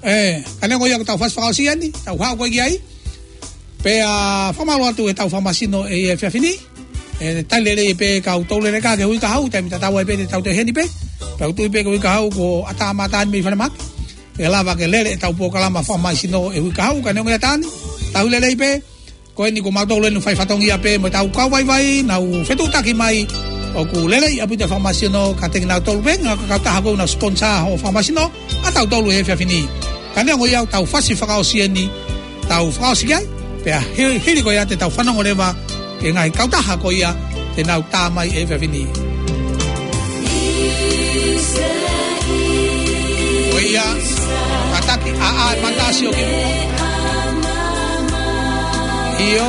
ʻE, ka neongo ia ʻoku tau fasi fakaʻosi eni, tau haʻu ko ē ki ai. Pea fakamālō atu ʻetau fakamāsino ʻi he efiafi ni. ʻE, tali lelei pē kau tau lele ka ke hui ka hau, taimi tatau ai pē te tau toe ʻi heni pē. Pea ʻoku ou tui pē ke hui ka hau ko ʻatā mata ni mei Falemahaki. ʻE lava ke lele ʻetau polokalama fakamāsino ʻi he uike kahaʻu, ka neongo ia Tani, tau lelei pē, ko eni ko mautolu eni fai fatongia pē mo ʻetau kau vaivai, naʻa nau fetuʻutaki mai, ʻoku lelei ʻaupito e fakamāsino, ka teki nautolu pē, ngaahi kautaha ko ē naʻa nau sponsor hoʻo fakamāsino, ʻa tautolu he efiafi ni. Ka neongo ia ʻoku tau fasi fakaʻosi eni, tau fakaʻosi ki ai, pea hi-, hili ko ia te tau fanongo leva, ki he ngaahi kautaha ko ia te nau tā mai he efiafi ni. Ko ia, kātaki ʻa ʻa e mata sio ki muʻa. ʻIo,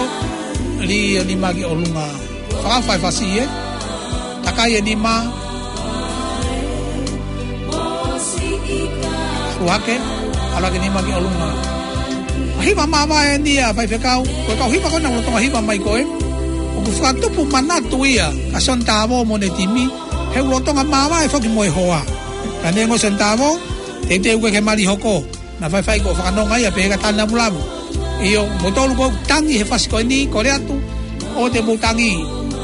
lī e nima ki ʻolunga. Fakaʻofa e fasi ē. Takai e nima. ʻAlu hake, ʻalu hake nima ki ʻolunga. Hiva māvae eni ʻa faifekau, ko e kau hiva ko ē naʻa nau lolotonga hiva mai ko ē. ʻOku fakatupu manatu ia kia Sione Tavo mo ʻene timi, he ʻoku lolotonga māvae foki mo e hoa. Ka neongo Sione Tavo, teuteu ke ke mali hoko. Naʻa faifai ko e fakanonga ia pē he ka tana mulamu. ʻIo, moutolu ʻoku tangi he fasi ko eni, kole atu, ʻoua te mou tangi,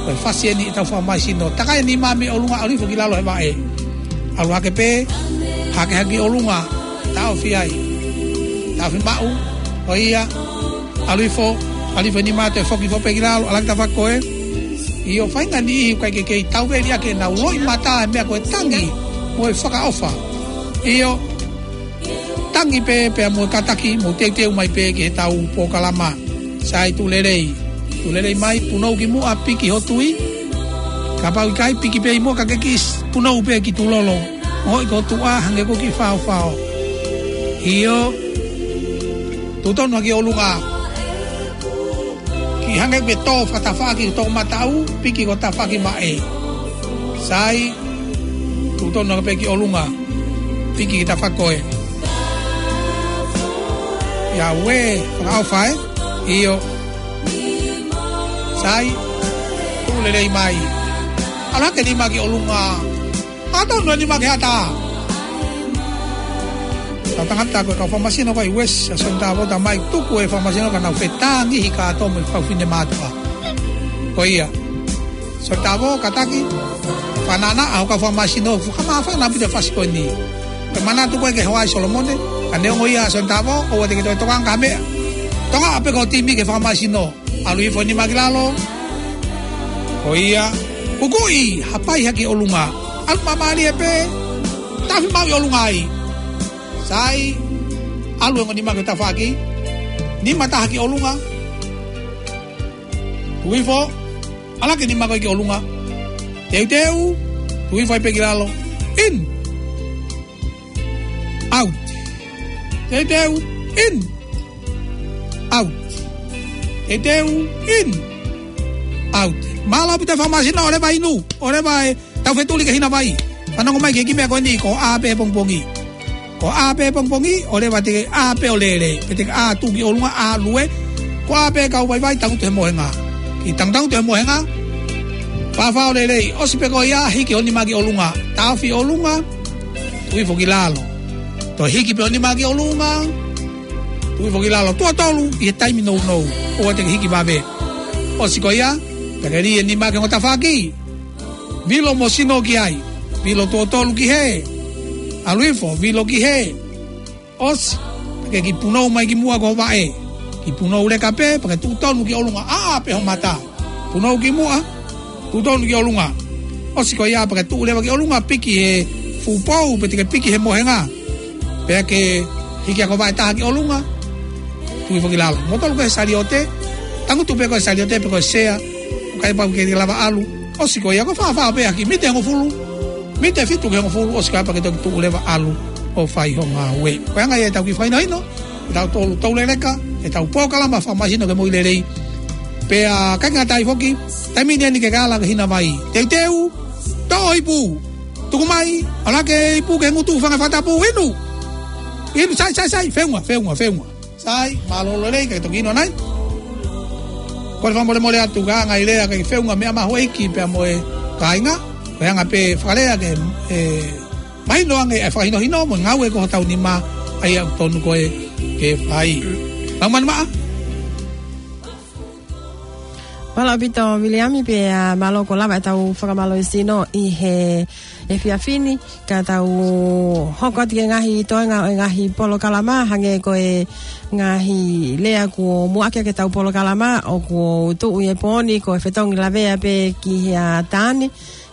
ko e fasi eni ʻetau fakamāsino. Takai e nima mei ʻolunga, ʻalu hifo ki lalo he vaʻe. ʻAlu hake pē, hake hake ʻolunga, taʻofi ai. Taʻofi maʻu, ʻoia, ʻalu hifo, ʻalu hifo e nima toe foki hifo pē ki lalo, ʻalu hake tafaʻaki ko ē. ʻIo, faʻahinga niʻihi ʻoku ʻikai ke kei tauveli ʻaki ʻenau loʻimata he meʻa ko e tangi, mo e fakaʻofa. ʻIo, tangi pē, pea mo e kātaki, mou teuteu mai pē ki heʻetau polokalama. Sai, tuʻu lelei. Tuʻu lelei mai, punou ki muʻa, piki ho tui. Kapau ʻikai, piki pē ʻi muʻa ka ke kiʻi s-, punou pē ki tulolo. Hoʻi ko tuʻa, hangē ko e kiʻi faofao. ʻIo. Tuʻu tonu hake ʻolunga. Kiʻi hangē pē tō fakatafaʻaki, tō mataʻu, piki ko tafaʻaki maʻe. Sai, tuʻu tonu hake pē ki ʻolunga, piki ki tafaʻaki ko ē. ʻIa ue, fakaʻofa ē, ʻio. Sai, tuʻu lelei mai. ʻAlu hake nima ki ʻolunga. Atonu e nima ki he ata. Tau tangata ko e kau fakamāsino ko ē ʻi West, ʻa Sione Tavo, talamai tuku e fakamāsino ka nau fetāngihi kātoa mo e fefine mātuʻa. Ko ia. Sione Tavo, kātaki, fānana, ʻa hoʻo kau fakamāsino, fakamāfana ʻaupito e fasi ko eni. Pea manatu ko ē ki he hoa ʻi Solomone, ka neongo ia Sione Tavo, ʻoua te ke toe tokanga ki ha meʻa. Tokangaʻi pē ko e timi ki he fakamāsino. ʻAlu hifo e nima ki lalo. Ko ia. Kukuʻi, hapai hake ʻolunga. ʻAlu māmālie pē. Taʻofi maʻu ʻi ʻolunga ai. Sai. ʻAlu e ongo nima ki tafaʻaki. Nima taha ki ʻolunga. Tuʻu hifo, ʻalu hake nima ko ē ki ʻolunga. Teuteu, tuʻu hifo ai pē ki lalo. In. Out. Teuteu, in. Out. Teuteu, in. Out. Mālō ʻaupito e fakamāsina, ʻoleva inu, ʻoleva e tau fetuli ki he hina vai. Fanongo mai ki he kiʻi meʻa ko eni, ko e ʻā pē pongipongi. Ko e ʻā pē pongipongi, ʻoleva te ke ʻā pē ʻo lele, pe te ke ʻā tuʻu ki ʻolunga, ʻā lue. Ko e ʻā pē kau vaivai, tangutu he mohenga. Kiʻi tangutangutu he mohenga. Fāfā ʻo lelei, ʻosi pē ko ia, hiki ho nima ki ʻolunga. Taʻofi ʻolunga, tuʻu hifo ki lalo. Toe hiki pē ho nima ki ʻolunga, tuʻu hifo ki lalo. Tuʻo tolu ʻi he taimi nounou, ʻoua te ke hiki vave. ʻOsi ko ia, pea ke lī e nima ki he ongo tafaʻaki. Vilo mo sino ki ai. Vilo tuʻo tolu ki hē. ʻAlu hifo, vilo ki hē. ʻOsi, pea ke kiʻi punou mai ki muʻa ki ho vaʻe. Kiʻi punou leka pē, pea ke tuʻu tonu ki ʻolunga, ʻā pē ho mata. Punou ki muʻa, tuʻu tonu ki ʻolunga. ʻOsi ko ia, pea ke tuʻu leva ki ʻolunga, piki he fuʻu pou, pe te ke piki he mohenga. Pea ke hiki hake ho vaʻe taha ki ʻolunga, tuʻu hifo ki lalo. Mo tolu ko e saliote, tangutu pē ko e saliote, pe ko e sea, ʻoku ʻikai pau ke lava ʻalu. ʻOsi ko ia, ko e fāfā pē ʻaki, mite hongofulu. Mite fitu ki he hongofulu, ʻosi ko ia pea ke toki tuʻu leva ʻalu ʻo fai ho ngāue. Ko e anga ia ʻetau kiʻi fakahinohino, ʻetau tolu tau leleka, ʻetau polokalama fakamāsina ke moʻui lelei. Pea ʻikai ngata ai foki, taimi ni eni ke ke ʻalu ki he hina vai. Teuteu, toʻo ipu. Tuku mai, ʻalu hake ipu ki he ngutu, fanga fakatapu, inu. Inu, sai, sai, sai, feʻunga, feʻunga, feʻunga. Sai, mālō lelei, kae toki inu ʻanai. Kole fakamolemole atu ka ngai lea ke feʻunga meʻa mahuʻinga pea mo e kāinga. Ko e anga pē fakalea ke, ē, mahino ange e fakahinohino mo e ngāue ko hotau nima, ʻa ia ʻoku tonu ko ē ke fai. Mau manu maʻa. Mālō ʻaupito Viliami pea, ā, mālō kuo lava ʻetau fakamālō sino ʻi he efiafi ni, ka tau hoko atu ki he ngaahi toenga ʻo e ngaahi polokalama, hangē ko e ngaahi lea kuo muʻaki ʻaki ʻetau polokalama, ʻoku tuʻu ʻi he pō ni ko e fetongi lavea pē ki he ʻatā ni,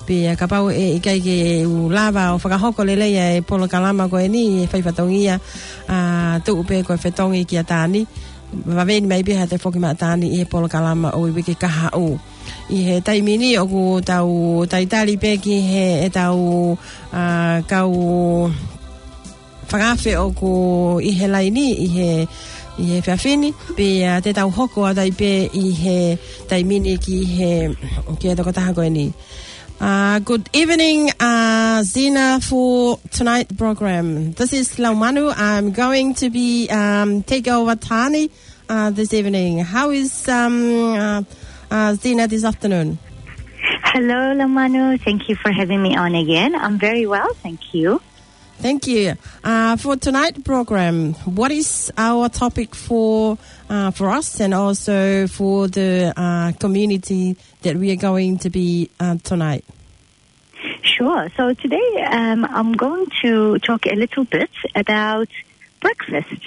pea kapau ʻe ʻikai ke u lava ʻo fakahoko lelei ʻa e polokalama ko eni ʻi he fai fatongia, ā, tuʻu pē ko e fetongi ki ʻatā ni. Vave ni mai pē ha toe foki maʻataʻa ni ʻi he polokalama ʻo e uike kahaʻu. ʻI he taimi ni ʻoku tau talitali pē ki he ʻetau, ā, kau fakaafe ʻoku ʻi he laini ʻi he, ʻi he efiafi ni. Pea te tau hoko atu ai pē ʻi he taimi ni ki he, ki he tokotaha ko eni. Uh, good evening, uh, Zena, for tonight program. This is Laumanu. I'm going to be, um, take over Tani, uh, this evening. How is, um, uh, uh, Zena this afternoon? Hello, Laumanu. Thank you for having me on again. I'm very well, thank you. Thank you. Uh, for tonight program, what is our topic for, uh, for us and also for the, uh, community that we are going to be, uh, tonight? Sure. So today, um, I'm going to talk a little bit about breakfast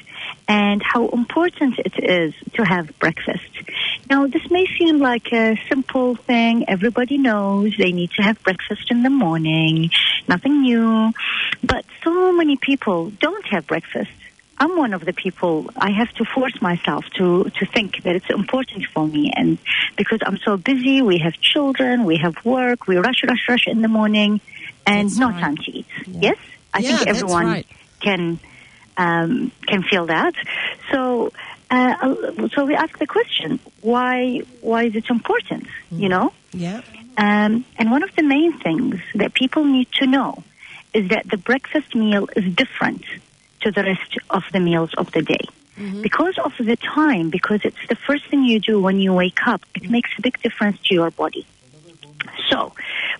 and how important it is to have breakfast. Now, this may seem like a simple thing. Everybody knows they need to have breakfast in the morning. Nothing new. But so many people don't have breakfast. I'm one of the people, I have to force myself to, to think that it's important for me. And because I'm so busy, we have children, we have work, we rush, rush, rush in the morning, and no time to eat. Yes? I think everyone can, um, can feel that. So, uh, so we ask the question, why, why is it important, you know? Yeah. Um, and one of the main things that people need to know is that the breakfast meal is different to the rest of the meals of the day. Because of the time, because it's the first thing you do when you wake up, it makes a big difference to your body. So,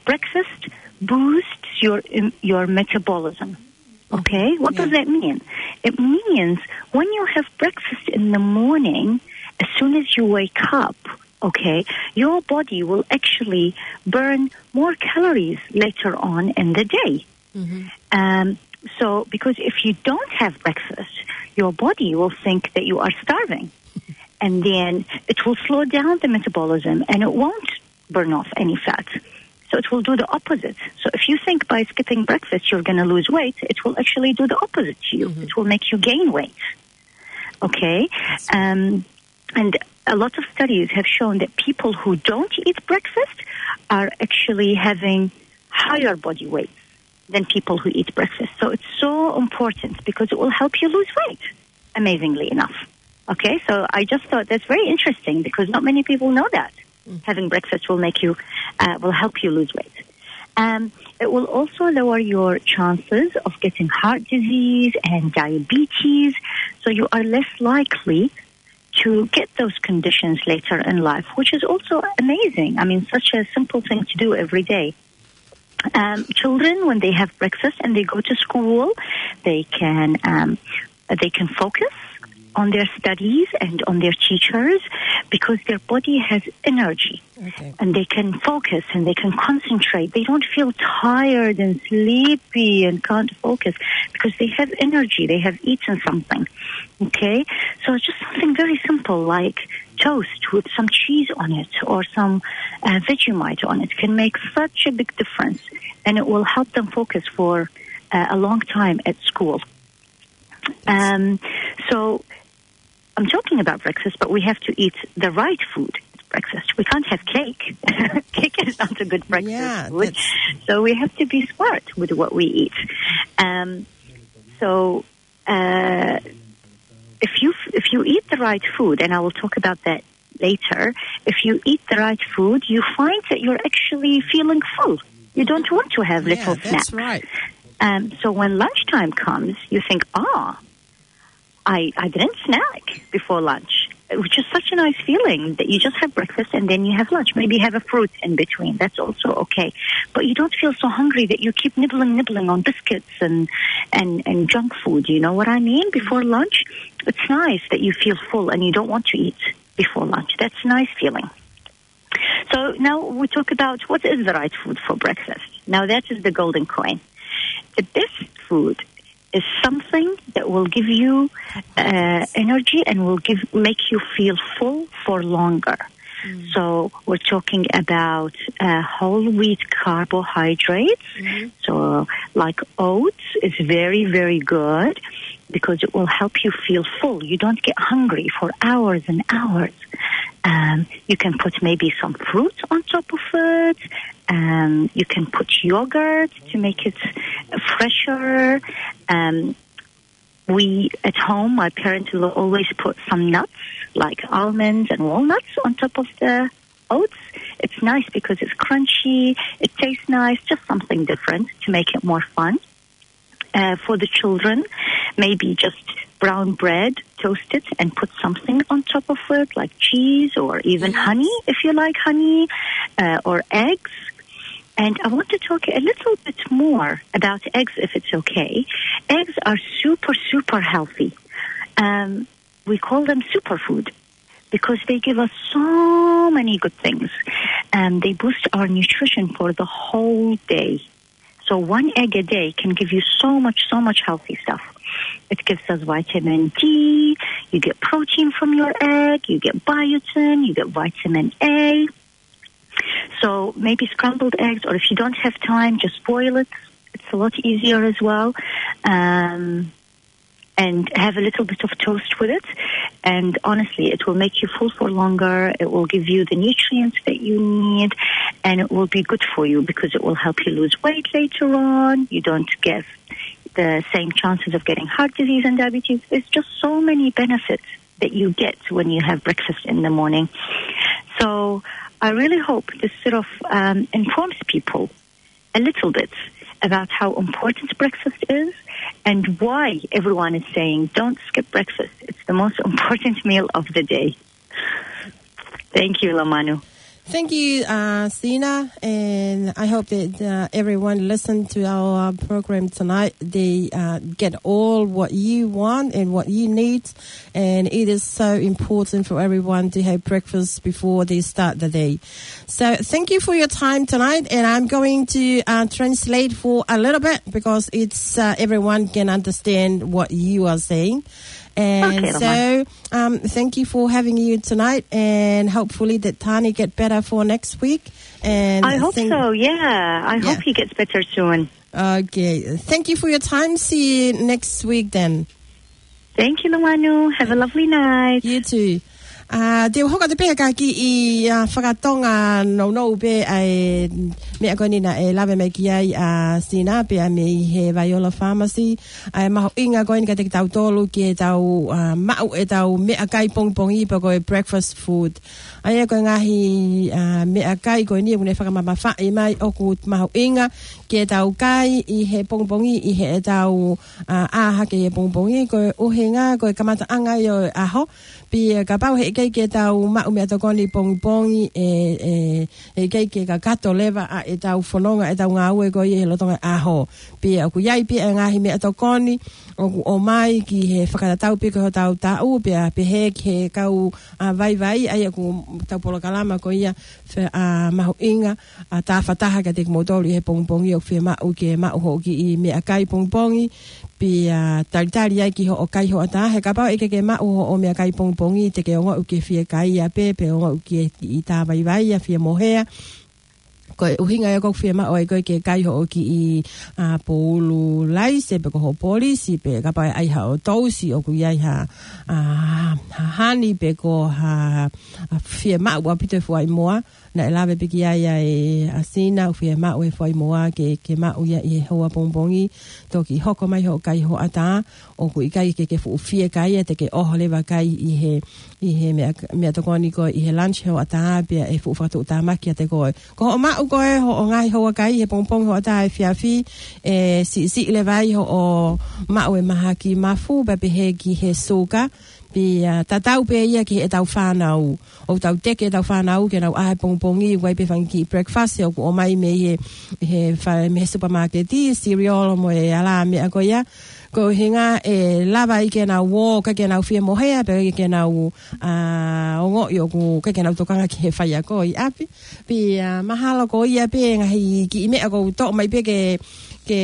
breakfast boosts your, um, your metabolism. Okay? What does that mean? It means when you have breakfast in the morning, as soon as you wake up, okay, your body will actually burn more calories later on in the day. Um, so, because if you don't have breakfast, your body will think that you are starving. And then it will slow down the metabolism and it won't burn off any fat. So it will do the opposite. So if you think by skipping breakfast you're gonna lose weight, it will actually do the opposite to you. It will make you gain weight. Okay? Um, and a lot of studies have shown that people who don't eat breakfast are actually having higher body weights than people who eat breakfast. So it's so important because it will help you lose weight, amazingly enough. Okay, so I just thought that's very interesting because not many people know that having breakfast will make you, uh, will help you lose weight. Um, it will also lower your chances of getting heart disease and diabetes, so you are less likely to get those conditions later in life, which is also amazing. I mean, such a simple thing to do every day. Um, children, when they have breakfast and they go to school, they can, um, they can focus on their studies and on their teachers because their body has energy. Okay. And they can focus and they can concentrate. They don't feel tired and sleepy and can't focus because they have energy. They have eaten something. Okay? So it's just something very simple like toast with some cheese on it or some, uh, Vegemite on it can make such a big difference, and it will help them focus for, uh, a long time at school. Um, so I'm talking about breakfast, but we have to eat the right food at breakfast. We can't have cake. Cake is not a good breakfast Yeah, food. That's So we have to be smart with what we eat. Um, so, uh, if you, if you eat the right food, and I will talk about that later, if you eat the right food, you find that you're actually feeling full. You don't want to have Yeah, little that's snacks. Right. Um, so when lunchtime comes, you think, "Ah, I, I didn't snack before lunch," which is such a nice feeling that you just have breakfast and then you have lunch. Maybe have a fruit in between. That's also okay. But you don't feel so hungry that you keep nibbling, nibbling on biscuits and, and, and junk food. You know what I mean? Before lunch, it's nice that you feel full and you don't want to eat before lunch. That's a nice feeling. So now we talk about what is the right food for breakfast. Now that is the golden coin. The best food is something that will give you, uh, energy and will give, make you feel full for longer. So we're talking about, uh, whole wheat carbohydrates. So like oats is very, very good because it will help you feel full. You don't get hungry for hours and hours. Um, you can put maybe some fruit on top of it. Um, you can put yogurt to make it fresher. Um, we, at home, my parents will always put some nuts, like almonds and walnuts, on top of the oats. It's nice because it's crunchy, it tastes nice, just something different to make it more fun. Uh, for the children, maybe just brown bread, toast it, and put something on top of it, like cheese or even honey, if you like honey, uh, or eggs. And I want to talk a little bit more about eggs, if it's okay. Eggs are super, super healthy. Um, we call them superfood because they give us so many good things. Um, they boost our nutrition for the whole day. So one egg a day can give you so much, so much healthy stuff. It gives us vitamin D, you get protein from your egg, you get biotin, you get vitamin A. So maybe scrambled eggs, or if you don't have time, just boil it. It's a lot easier as well. Um, and have a little bit of toast with it. And honestly, it will make you full for longer. It will give you the nutrients that you need, and it will be good for you because it will help you lose weight later on. You don't get the same chances of getting heart disease and diabetes. There's just so many benefits that you get when you have breakfast in the morning. So I really hope this sort of, um, informs people a little bit about how important breakfast is and why everyone is saying, "Don't skip breakfast. It's the most important meal of the day." Thank you, Lamanu. Thank you, uh, Sina, and I hope that, uh, everyone listen to our, uh, program tonight. They, uh, get all what you want and what you need, and it is so important for everyone to have breakfast before they start the day. So thank you for your time tonight, and I'm going to, uh, translate for a little bit because it's, uh, everyone can understand what you are saying. And Okay, so, um, thank you for having you tonight, and hopefully that Tani get better for next week. And I hope thank- so, yeah. I Yeah. hope he gets better soon. Okay. Thank you for your time. See you next week then. Thank you, Lamanu. Have a lovely night. You too. ʻA, te u hoko atu pē ka kiʻi, ʻa, fakatonga nounou pē ʻa e meʻa ko eni naʻe lave mai ki ai ʻa Sina pea mei he Viola Pharmacy. ʻA e mahuʻinga ko eni kiate kitautolu ke tau, ʻa, maʻu ʻetau meʻakai pongipongi pe ko e breakfast food. ʻA ia ko e ngaahi, ʻa, meʻakai ko eni ʻoku ne fakamamafaʻi mai ʻoku mahuʻinga ke tau kai ʻi he pongipongi, ʻi heʻetau, ʻa, ʻā hake he pongipongi, ko e ʻuhinga, ko e kamataʻanga ia ʻo e ʻaho. Pea kapau heʻikai ke tau maʻu meʻatokoni pongipongi, ʻe, ʻe, heʻikai ke kakato leva ʻa ʻetau fononga, ʻetau ngāue ko ia he lolotonga ʻaho. Pea ʻoku ʻi ai pē ʻa e ngaahi meʻatokoni ʻoku ʻomai ki he fakatatau pē ki hotau taʻu, pea pehē ki he kau, ʻa, vaivai, ʻa ia ko ʻetau polokalama ko ia fe-, ʻa, mahuʻinga, ʻa, tāfataha kiate kimoutolu ʻi he pongipongi ʻoku fiemaʻu ke maʻu hoʻo kiʻi meʻakai pongipongi, pea talitali ai ki hoʻo kai hoʻatā, he kapau ʻe ʻikai ke maʻu hoʻo meʻakai pongipongi, te ke ongoʻi ʻoku ke fiekaia pē, pe ongoʻi ʻoku ke tā vaivai, ʻa, fiemohea. Ko e ʻuhinga ia ʻoku fiemaʻu ai koe ke kai hoʻo kiʻi, ʻa, poulu laise, pe ko hoʻo polisi, pe kapau ʻe ʻai haʻo tousi ʻoku ʻi ai ha, ʻa, ha hani, pe ko ha, ʻa, fiemaʻu ʻaupito e fuaʻimoa. Naʻe lave pē ki ai ʻa e, ʻa Sina, ʻoku fiemaʻu e fuaʻimoa ke, ke maʻu ia ʻi he houa pongipongi, toki hoko mai hoʻo kai hoʻatā, ʻoku ʻikai ke ke fuʻu fiekaia, te ke ʻoho leva kai ʻi he, ʻi he meʻa, meʻatokoni ko ē ʻi he lunch hoʻatā, pea ʻe fuʻu fakatuʻutāmaki kiate koe. Ko hoʻo maʻu ko ē hoʻo ngaahi houa kai he pongipongi hoʻatā efiafi, ʻe siʻisiʻi leva ai hoʻo maʻu e mahaki mafu, pea pehē ki he suka, pea tatau pē ia ki heʻetau fānau. ʻOku tau teke ʻetau fānau ke nau ʻā he pongipongi, ʻoku ʻi ai pē fanga kiʻi breakfast ʻoku ʻomai mei he, he fa-, mei he supermarket, cereal mo e ʻalā meʻa ko ia. Ko e ʻuhinga ʻe lava ai ke nau ō, ʻikai ke nau fiemohea, pe ʻikai ke nau, ʻa, ongoʻi ʻoku, ʻikai ke nau tokanga ki he faiako ʻi ʻapi. Pea, ʻa, mahalo ko ia pē ngaahi kiʻi meʻa ʻoku ou toʻo mai pē ke, ke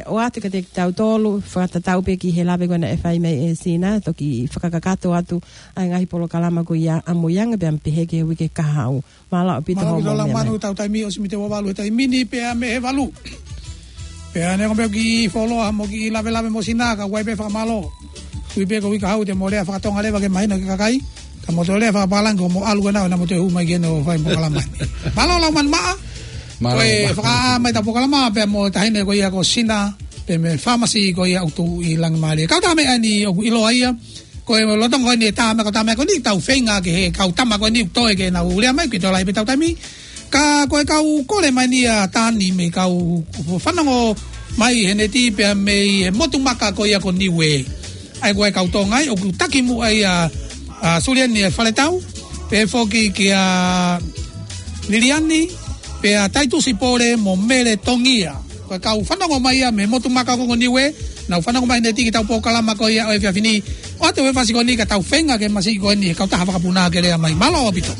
ʻoatu kiate kitautolu, fakatatau pē ki he lave ko ē naʻe fai mai ʻe Sina, toki fakakakato atu ʻa e ngaahi polokalama ko ia ʻamuianga pea pehē ki he uike kahaʻu. Mālō ʻaupito. Mālō hoʻomou ʻaupito, meʻa Laumanu, mai. Tau taimi ʻosi mei he valu he taimi ni pea mei he valu. Pea neongo pē ʻeku kiʻi fuoloa mo e kiʻi lavelave mo Sina ka ʻoku ʻi ai pē fakamālō. Ui pē ko e uike kahaʻu te mou lea fakatonga leva ke mahino ki he kakai. Ka mou toe lea fakapālangi ko hoʻomou ʻalu ko ena ʻo ena mou toe hū mai ki heni ʻo fai polokalama ni. Mālō Laumanu Maʻa. Mālō. Ko e fakaʻā mai ʻetau polokalama pea mo e taʻahine ko ia ko Sina, pea mei he Pharmacy ko ia ʻoku tuʻu ʻi Langimālie. Kau tā meʻa ni ʻoku ʻiloa ia. Ko e lolotonga ko eni e tā meʻa, ko e tā meʻa ko eni tau feinga ki he kau tama ko eni ʻoku toe ke nau lea mai, ʻikai toe lahi pē ʻetau taimi. Ka ko e kau kole mai ni ʻa Tani mei he kau fanongo mai he neti pea mei he motu maka ko ia ko Niuē. ʻA ia ko e kau Tonga ia, ʻoku taki muʻa ia ʻa Suliani ʻe Faletau, pea foki kia Liliani, pea Taitusi Pole mo Mele Tongia. Ko e kau fanongo mai ia mei he motu maka ko Niuē, nau fanongo mai he neti ki heʻetau polokalama ko ia ʻo e efiafi ni. ʻOatu e fasi ko eni ka tau feinga ke masiʻi ko eni he kautaha fakapuna ke lea mai. Mālō ʻaupito.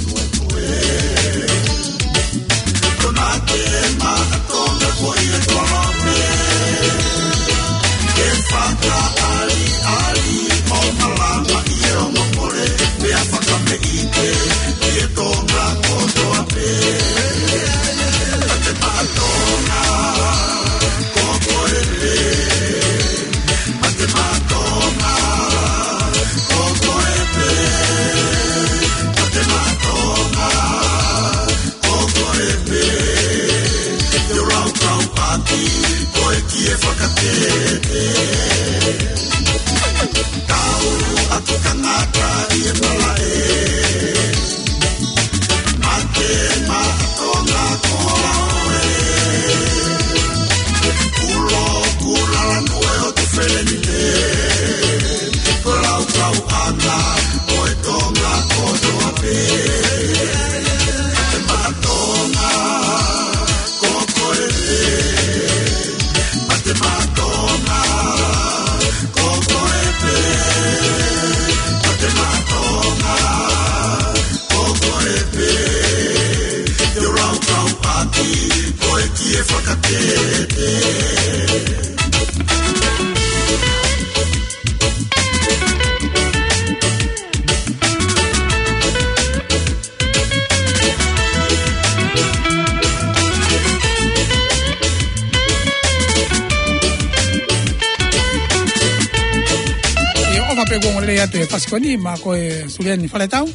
ʻIo, ʻofa Pea ʻoku ongoongolelei atu e fasi ko eni maʻa koe Suliani Faletau,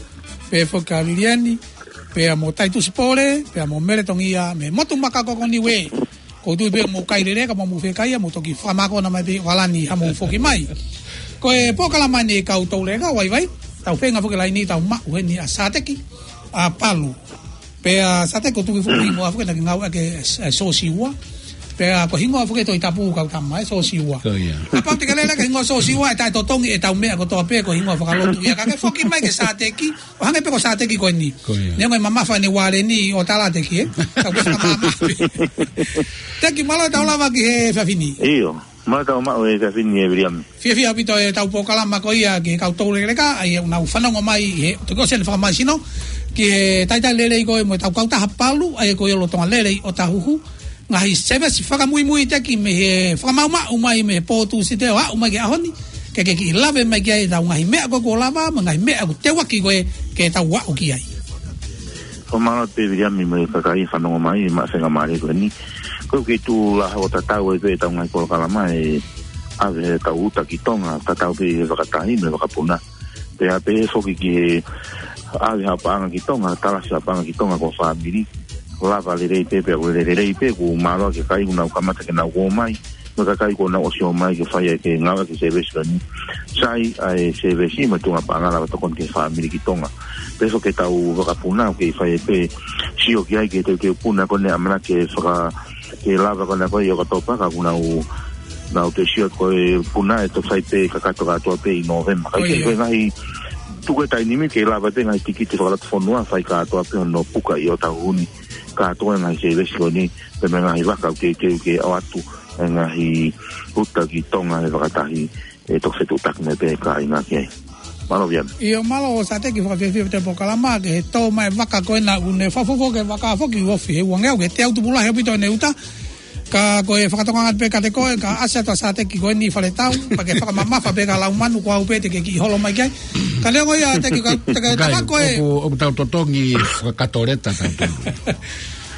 pea foki kia Liliani, pea mo Taitusi Pole, pea mo Mele Tongia, mei he motu makakoko Niuē. ʻOku ou tui pē ʻoku mou kai lelei, ka mou fie kai, mou toki fakamākona mai pē ʻo kalani haʻamou foki mai. Ko e polokalama ni e Kau Touleka, vaivai, tau feinga foki laini, tau maʻu heni ʻa Sateki, ʻa Palu. Pea Sateki ʻoku tuku foki hingoa foki naʻa ke ngāueʻaki e, e Sosiua. Pea ko e hingoa foki e Tohi Tapu kau tama, e Sosiua. Ko ia. Kapau te ke lele ki he hingoa Sosiua, ʻe taʻetotongi ʻetau meʻa kotoa pē ko e hingoa fakalotu ia. Ka ke foki mai kia Sateki, ʻo hangē pē ko Sateki ko eni. Ko ia. Neongo e mamafa ʻene uale ni ʻo tala Teki, ē? Tau ke fakamamafa. Teki, mālō e tau lava ki he efiafi ni. ʻIo. Mālō e tau maʻu e efiafi ni, ʻe Viliami. Fiefia ʻaupito ʻetau polokalama ko ia ki he Kau Toulekeleka, ʻa ia ʻoku nau fanongo mai he, toki ʻosi ʻene fakamālohisino ki he talitali lelei ko ē mo ʻetau kautaha Palu, ʻa ia ko e lolotonga lelei ʻo Tahuhu. Ngaahi sēvesi fakamuimui Teki mei he fakamaʻumaʻu mai mei he pō Tūsite ʻo aʻu mai ki he ʻaho ni, ke ke kiʻi lave mai ki ai ʻetau ngaahi meʻa ko ē kuo lava, mo e ngaahi meʻa ʻoku teuaki ko ē ke tau aʻu ki ai. Ko mālō pē Viliami mo e kakai fanongo mai, maʻu faingamālie ko eni. Ko e kei tuʻu lahi ʻo tatau ai pē ʻetau ngaahi polokalama ʻe ʻave ʻetau uta ki Tonga, tatau pē he vakatahi mo e vakapuna. Pea pehē foki ki he ʻave ha paʻanga ki Tonga, talasi ha paʻanga ki Tonga ko e fāmili. Lava lelei pē, pea ʻoku lele lelei pē, ʻoku mālō ki he kakai ʻoku nau kamata ke nau ō mai. Mo e kakai kuo nau ʻosi ō mai ke fai ai ke ngāueʻaki e sēvesi ko eni. Sai ʻa e sēvesi mo e tuʻunga paʻanga lava tokoni ki he fāmili ki Tonga. Pea foki ʻetau vakapuna ʻoku kei fai pē sio ki ai ki he teuteu puna ko eni ʻamanaki ke faka-, ke lava ko ena ko ē ʻi ʻOkatopa ka ʻoku nau, nau toe sio ko e puna ʻe toki fai pē kakato kātoa pē ʻi Nōvema. Ka ʻoku ʻi ai pē ngaahi tuku e taimi ni ke lava pē ngaahi tikite fakalotofonua fai kātoa pē hono puka ʻi ʻOtahuhu ni. Kātoa e ngaahi sēvesi ko eni, pea mo e ngaahi vaka ʻoku teuteu ke ʻoatu e ngaahi uta ki Tonga he vakatahi, ʻe toki fetuʻutaki mai pē kāinga ki ai. Mālō Viliami. ʻIo, mālō Sateki, fakafiefia ʻaupito e polokalama, ki he tō mai e vaka ko ena ʻoku ne fafofo ki he vaka foki ʻoku ofi he uangeau, ki he teau tupu lahi ʻaupito ʻene uta. Ka ko e fakatokanga pē kiate koe, ka ʻasi atu ʻa Sateki ko eni Faletau, pea ke fakamamafa pē ka lau manu ko au pē te ke kiʻi holo mai ki ai. Ka neongo ia Teki, ka, te ke tafa ko e ʻoku, ʻoku tau totongi fakakatoleta tau tonu.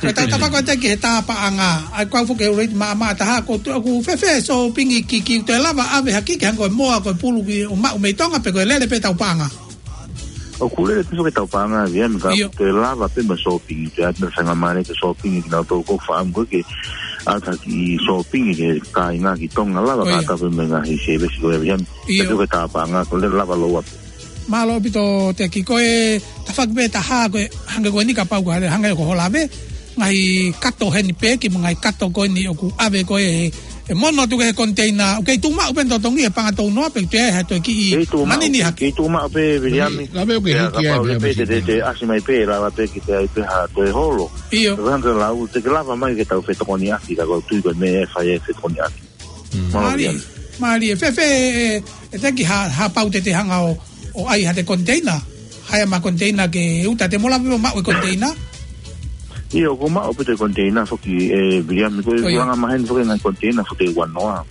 Ko e tau tafa ko e Teki he tā paʻanga, ʻa ia ko au foki he ʻuluaki maʻamaʻa taha, ko tu-, ʻoku fēfē e sōpingi ki, ki te lava ʻave ha kiki hangē ko e moa, ko e pulu ki ʻo maʻu mei Tonga pe ko e lele pē tau paʻanga. ʻOku lele pē foki tau paʻanga, Viliami, ka ʻoku te lava pē mo e sōpingi, te ʻai pē faingamālie ke sōpingi kinautolu ʻoku fakaʻamu ko ē ke ʻai ha kiʻi sōpingi ki he kāinga ki Tonga, lava kātoa pē mo e ngaahi sēvesi ko ē, Viliami. ʻIo. Pea ko e tā paʻanga, ko e lele lava lōua pē. Mālō ʻaupito Teki, ko e tafaʻaki pē ʻe taha ko e hangē ko eni kapau ko e hangē ko hoʻo lave, ngaahi kato heni pē ki mo e ngaahi kato ko eni ʻoku ʻave ko ē he, he mono atu ki he koniteina, ʻoku kei tuʻu maʻu pē ʻene totongi he paʻanga tau noa pe ʻoku toe ʻi ai ha toe kiʻi manini hake. Kei tuʻu maʻu pē Viliami. Lave ʻoku ke hiki ai pē pē te, te, te ʻasi mai pē, lava pē ke te ʻai pē ha toe holo. ʻIo. Ko e hangē lau, te ke lava mai ke tau fetokoniʻaki, ka ʻoku ou tui ko e meʻa ʻe fai ai e fetokoniʻaki. Mālie, mālie. Fēfē, ʻe, ʻe Teki ha, ha pau te te hanga ʻo, ʻo ʻai ha toe koniteina. Haea mai ha koniteina ke uta, te mo lava pē ʻo maʻu e koniteina. ʻIo, ʻoku maʻu pē toe koniteina foki ʻe Viliami, ko e anga maheni foki e ngaahi koniteina foki ʻe ua noa.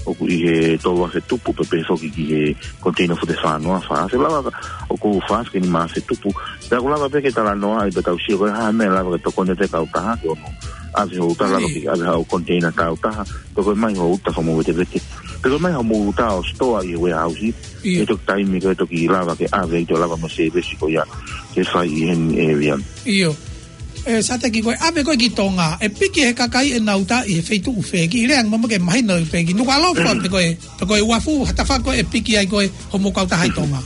ʻOku ʻi he tolu afe tupu pea pehē foki ki he koniteina foki ʻe fā noa, fā afe lava, ʻoku fā afe ki he nima afe tupu. Pea ʻoku lava pē ke talanoa ai pea tau sio ko e hā e meʻa lava ke tokoni atu ki he kautaha ke ono ʻave hoʻo uta, lava ke ʻave haʻo koniteina tautaha, pe ko e ʻomai hoʻo uta fakamovetevete, pe ko e ʻomai hoʻomou uta ʻo sitoa ʻi he warehouse, ʻe toki taimi ko ē toki lava ke ʻave ai, toe lava mo e sēvesi ko ia ke fai ʻi heni ʻe Viliami. ʻIo. ʻE Sateki, ko e ʻave ko ē ki Tonga, ʻe piki he kakai ʻenau uta ʻi he feituʻu fē, kiʻi lea ange mo ke mahino pē ki Nukuʻalofa pe ko e, pe ko e uafu, ha tafaʻaki ko ē ʻe piki ai ko ē hoʻomou kautaha ʻi Tonga?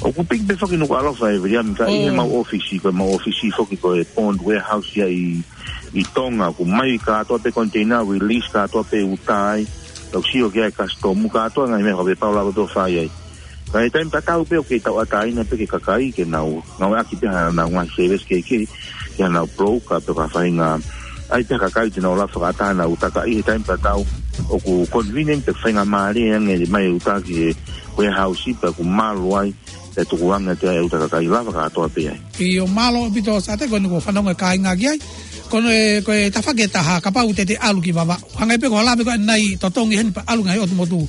ʻOku piki pē foki Nukuʻalofa ʻe Viliami, ka ʻi heʻemau ʻōfisi, ko ʻemau ʻōfisi foki ko e Bond Warehouse ia ʻi, ʻi Tonga, ʻoku ʻomai kātoa pē koniteina, release kātoa pē uta ai, ʻoku sio ki ai e kasitomu, kātoa ngaahi meʻa fakapapau lava ʻoku fai ai. Ka ʻi he taimi tatau pē ʻoku kei tauʻatāina pē ki he kakai ke nau ngāueʻaki pē haʻanau ngaahi sēvesi kehekehe, ki haʻanau broker pe ko ha faʻahinga, ʻai pē ha kakai te nau lava fakaʻatā haʻanau uta, ka ʻi he taimi tatau ʻoku convenient pē, faingamālie ange ʻomai e uta ki he warehouse pea ʻoku malu ai, pea tukuange atu ai e uta kakai, lava kātoa pē ai. ʻIo, mālō ʻaupito Sateki, ko eni kuo fanongo e kāinga ki ai. Ko e, ko e tafaʻaki ʻe taha, kapau te te ʻalu ki Vavaʻu, hangē pē ko hoʻo lave ko ē ʻanenai, totongi heni pea ʻalu ngaahi ʻotu motu.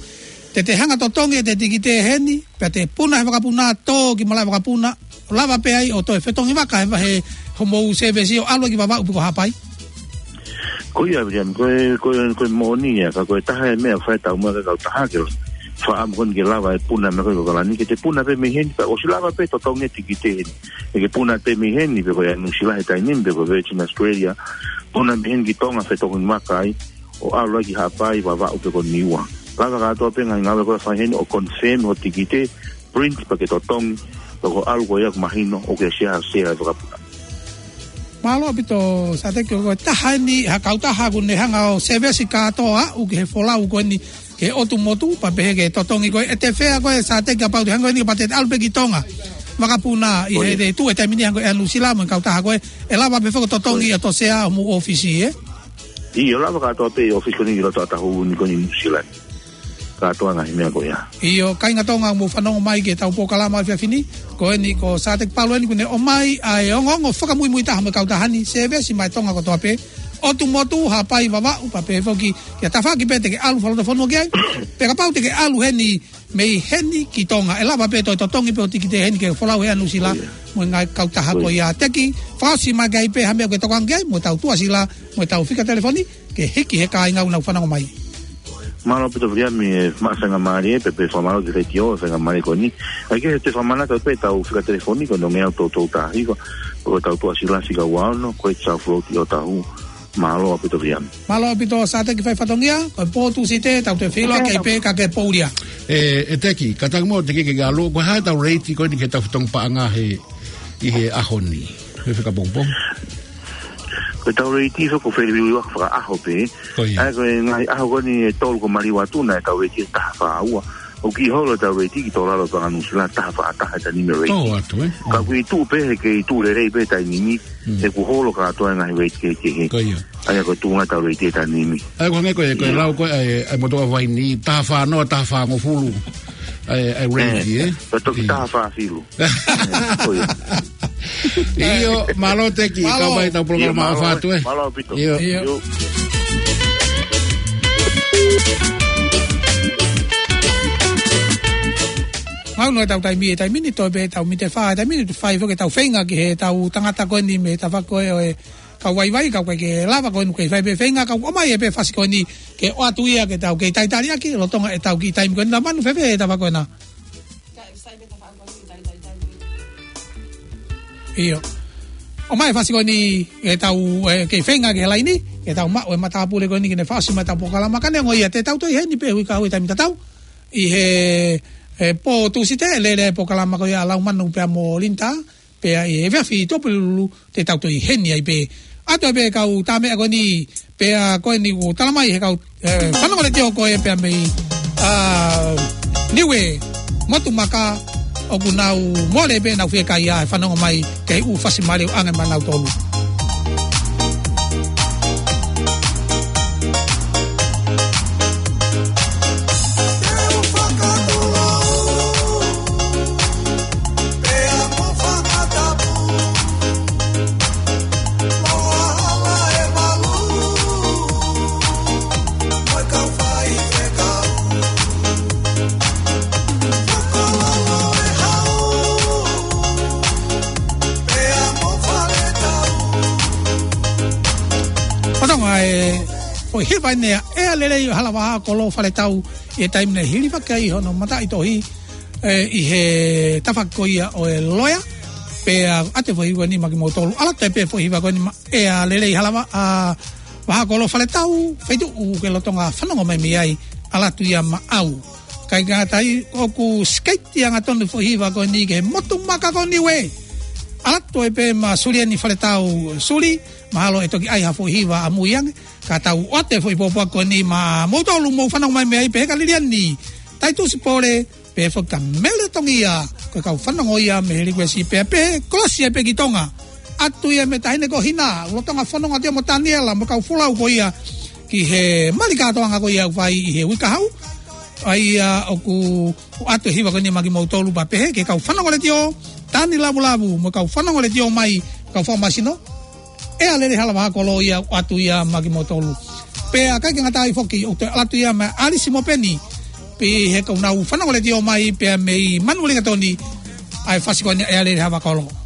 Te te hanga totongi e te tikite heni, pea te puna he vakapuna, tō ki malaʻe vakapuna, lava pē ai ʻo toe fetongi vaka he vahe hoʻomou sēvesi ʻo ʻalu ai ki Vavaʻu pe ko Haʻapai? Ko ia Viliami, ko e, ko e, ko e moʻoni ia, ka ko e taha e meʻa ʻoku fai ʻe tautolu mo e kautaha ke fakaʻamu ko eni ke lava e puna mei ko ē ki ʻAokalani, ke te puna pē mei heni, pea ʻosi lava pē totongi e tikite heni. ʻE ke puna pē mei heni, pe ko ē ʻa Nuʻusila he taimi ni, pe ko Virgin Australia, puna mei heni ki Tonga, fetongi maka ai, ʻo ʻalu ai ki Haʻapai, Vavaʻu pe ko Niua. Lava kātoa pē ngaahi ngāue ko ē ʻe fai heni, ʻo confirm hoʻo tikite, print pea ke totongi, pea ko e ʻalu ko ia ʻoku mahino, ʻoku ke sea, sea e vakapuna. Mālō ʻaupito, Sateki, ko e taha eni ha kautaha ʻoku ne hanga ʻo sevesi kātoa ʻo aʻu ki he folau ko eni ki he ʻotu motu, pea pehē ki he totongi ko ē, ʻe te fea ko ē, Sateki, kapau te hanga ko eni, pea te ʻalu pē ki Tonga. Vakapuna ʻi he, ʻio, te tuʻu e taimi ni hanga ko ē ʻa Nuʻusila mo e kautaha ko ē, ʻe lava pē foki ʻo totongi, ʻio, ʻa e toʻo sea ʻo homou ʻōfisi, ē? ʻIo, lava kātoa pē ʻi he ʻōfisi ko eni ʻi loto ʻataʻatā ni ko eni ʻi Nuʻusila. Kātoa ngaahi meʻa ko ia. ʻIo, kāinga Tonga, mou fanongo mai ki heʻetau polokalama ʻo e efiafi ni. Ko eni ko Sateki Palu eni ʻoku ne ʻomai ʻa e ongoongo fakamuimui taha mo e kautaha ni, sevesi maʻa Tonga kotoa pē. ʻOtu motu, Haʻapai, Vavaʻu, pea pehē foki ki ha tafaʻaki pē te ke ʻalu fakalotofonua ki ai. Pe kapau te ke ʻalu heni mei heni ki Tonga, ʻe lava pē toe totongi pē hoʻo tikite heni ki he folau ʻa Nuʻusila, ʻio, mo e ngaahi kautaha, ʻio, ko ia. Teki, fakaʻosi mai ki ai pē ha meʻa ʻoku ke tokanga ki ai, mo ʻetau tuʻasila, mo ʻetau fika telefoni, ke hiki he kāinga ʻoku nau fanongo mai. Mālō ʻaupito Viliami, ʻe maʻu e faingamālie, pea pehē fakamālō ki he letiō, faingamālie ko eni. ʻAi ke te fakamanatu pē ʻetau fika telefoni, ko e nongeau toutou taha hiva, ko ʻetau tuʻasila fika ua ono, ko e South Road ʻi ʻŌtāhuhu. Mālō ʻaupito Viliami. Mālō ʻaupito Sateki, fai fatongia, ko e pō Tūsite, tau toe feʻiloaki ai pē ka ke poulia. ʻE, ʻe Teki, ka tangi mo Teki ke alo, ko e hā ʻetau reiti ko eni ki heʻetau fetongi paʻanga he, ʻi he ʻaho ni. He fika pongipongi. Ko ʻetau reiti foki ʻoku feliuliuaki fakaʻaho pē. Ko ia. ʻA ia ko e ngaahi ʻaho ko eni ʻe tolu kuo maliu atu naʻe ʻetau reiti ʻe taha fā ua. ʻOku kiʻi holo ʻetau reiti ki tō lalo paʻanga Nuʻusila taha fā taha e taimi ni reiti. Tō atu, ē? Ka ʻoku ʻi tuʻa pē he kei tuʻu lelei pē taimi ni, mm, he kuo holo kātoa e ngaahi reiti kehekehe. Ko ia. ʻA ia ko e tuʻunga ʻetau reiti he taimi ni. ʻA ia ko e hangē ko e, ko e, ʻio, lau ko ē ʻa e, ʻa e motuʻa vaini, taha fā noa, taha fā ngofulu. ʻA e, ʻa e reiti, ē? Ē, ka toki, ē, taha fā filu. Ko ia. ʻIo, mālō Teki, mālō. Kau mai ʻetau polokalama, ʻio, mālō, ʻofa atu, ē. Mālō ʻaupito. ʻIo. ʻIo. ʻIo. Ngau noa ʻetau taimi, e taimi ni toe pē ʻetau miniti ʻe fā, e taimi ni fai foki ʻetau feinga ki heʻetau tangata ko eni mei he tafaʻaki ko ē ʻo e kau vaivai, ka ʻoku ʻikai ke lava, ko eni ʻoku kei fai pē feinga, ka ʻoku ʻomai ʻe pē fasikoni ke ʻoatu ia ke tau kei talitali ʻaki, lolotonga ʻetau kiʻi taimi ko eni. Laumanu, fēfē e tafaʻaki ko ena? ʻIo. ʻOmai e fasikoni ke tau, ē, kei feinga ki he laini, ke tau maʻu e matāpule ko eni ke ne fakaʻosi mai ʻetau polokalama, ka neongo ia te tau toe ʻi heni pē he uike kahaʻu he taimi tatau. ʻI he, ē, pō Tūsite, lele e polokalama ko ia ʻa Laumanu pea mo Linda, pea ʻi he efiafi Tuʻapulelulu te tau toe ʻi heni ai pē. ʻAtu ai pē kau tā meʻa ko eni, pea ko eni kuo tala mai he kau, ē, fanongo letiō ko ē pea mei, ā, Niue, Motu Maka, ʻoku nau mole pē ʻenau fiekaia he fanongo mai ki he ʻū fasi mālie ʻoku ʻoange maʻanautolu. Fatongia e foʻi hiva eni ʻa e ʻEa Lelei Halavaha Kolo Faletau, ʻi he taimi naʻe hilifaki ai hono mataʻitohi, ē, ʻi he tafaʻaki ko ia ʻo e loea, pea ʻoatu e foʻi hiva ko eni maʻa kimoutolu. ʻAlu atu ai pē foʻi hiva ko eni maʻa e ʻEa Lelei Halavaha, ā, Vaha Kolo Faletau, feituʻu ʻoku ke lolotonga fanongo mai mei ai, ʻalu atu ia maʻau. Kae ngata ai, ʻoku sikeiti angatonu e foʻi hiva ko eni ki he Motu Maka ko Niue. ʻAlu atu ai pē maʻa Suliani Faletau, Suli, mahalo ʻe toki ʻai ha foʻi hiva ʻamui ange, ka tau ʻoatu e foʻi pōpoaki ko eni maʻamoutolu ʻoku mou fanongo mai mei ai, pehē kia Liliani Taitusi Pole, pehē foki kia Mele Tongia, ko e kau fanongo ia mei he likuesi, pea pehē kolosi ai pē ki Tonga. ʻAtu ia mei he Taʻahine ko Hina, lolotonga fanongo atu ia mo Taniela, mo e kau folau ko ia ki he mali kātoanga ko ia ʻoku fai ʻi he uike kahaʻu. ʻA ia ʻoku ʻoatu e hiva ko eni maʻa kimoutolu pea pehē ki he kau fanongo letiō, Tani Lavulavu, mo e kau fanongo letiō mai, kau fakamasino, ʻEa Lelei Halavaha Kolo ia ʻoatu ia maʻa kimoutolu. Pea ʻikai ke ngata ai foki, ʻoku toe ʻalu atu ia maʻa ʻAlisi mo Peni, pehē ki he kau fanongo letiō mai pea mei Manuʻa Lingatoni, ʻa e fasi ko eni ʻEa Lelei Halavaha Kolo.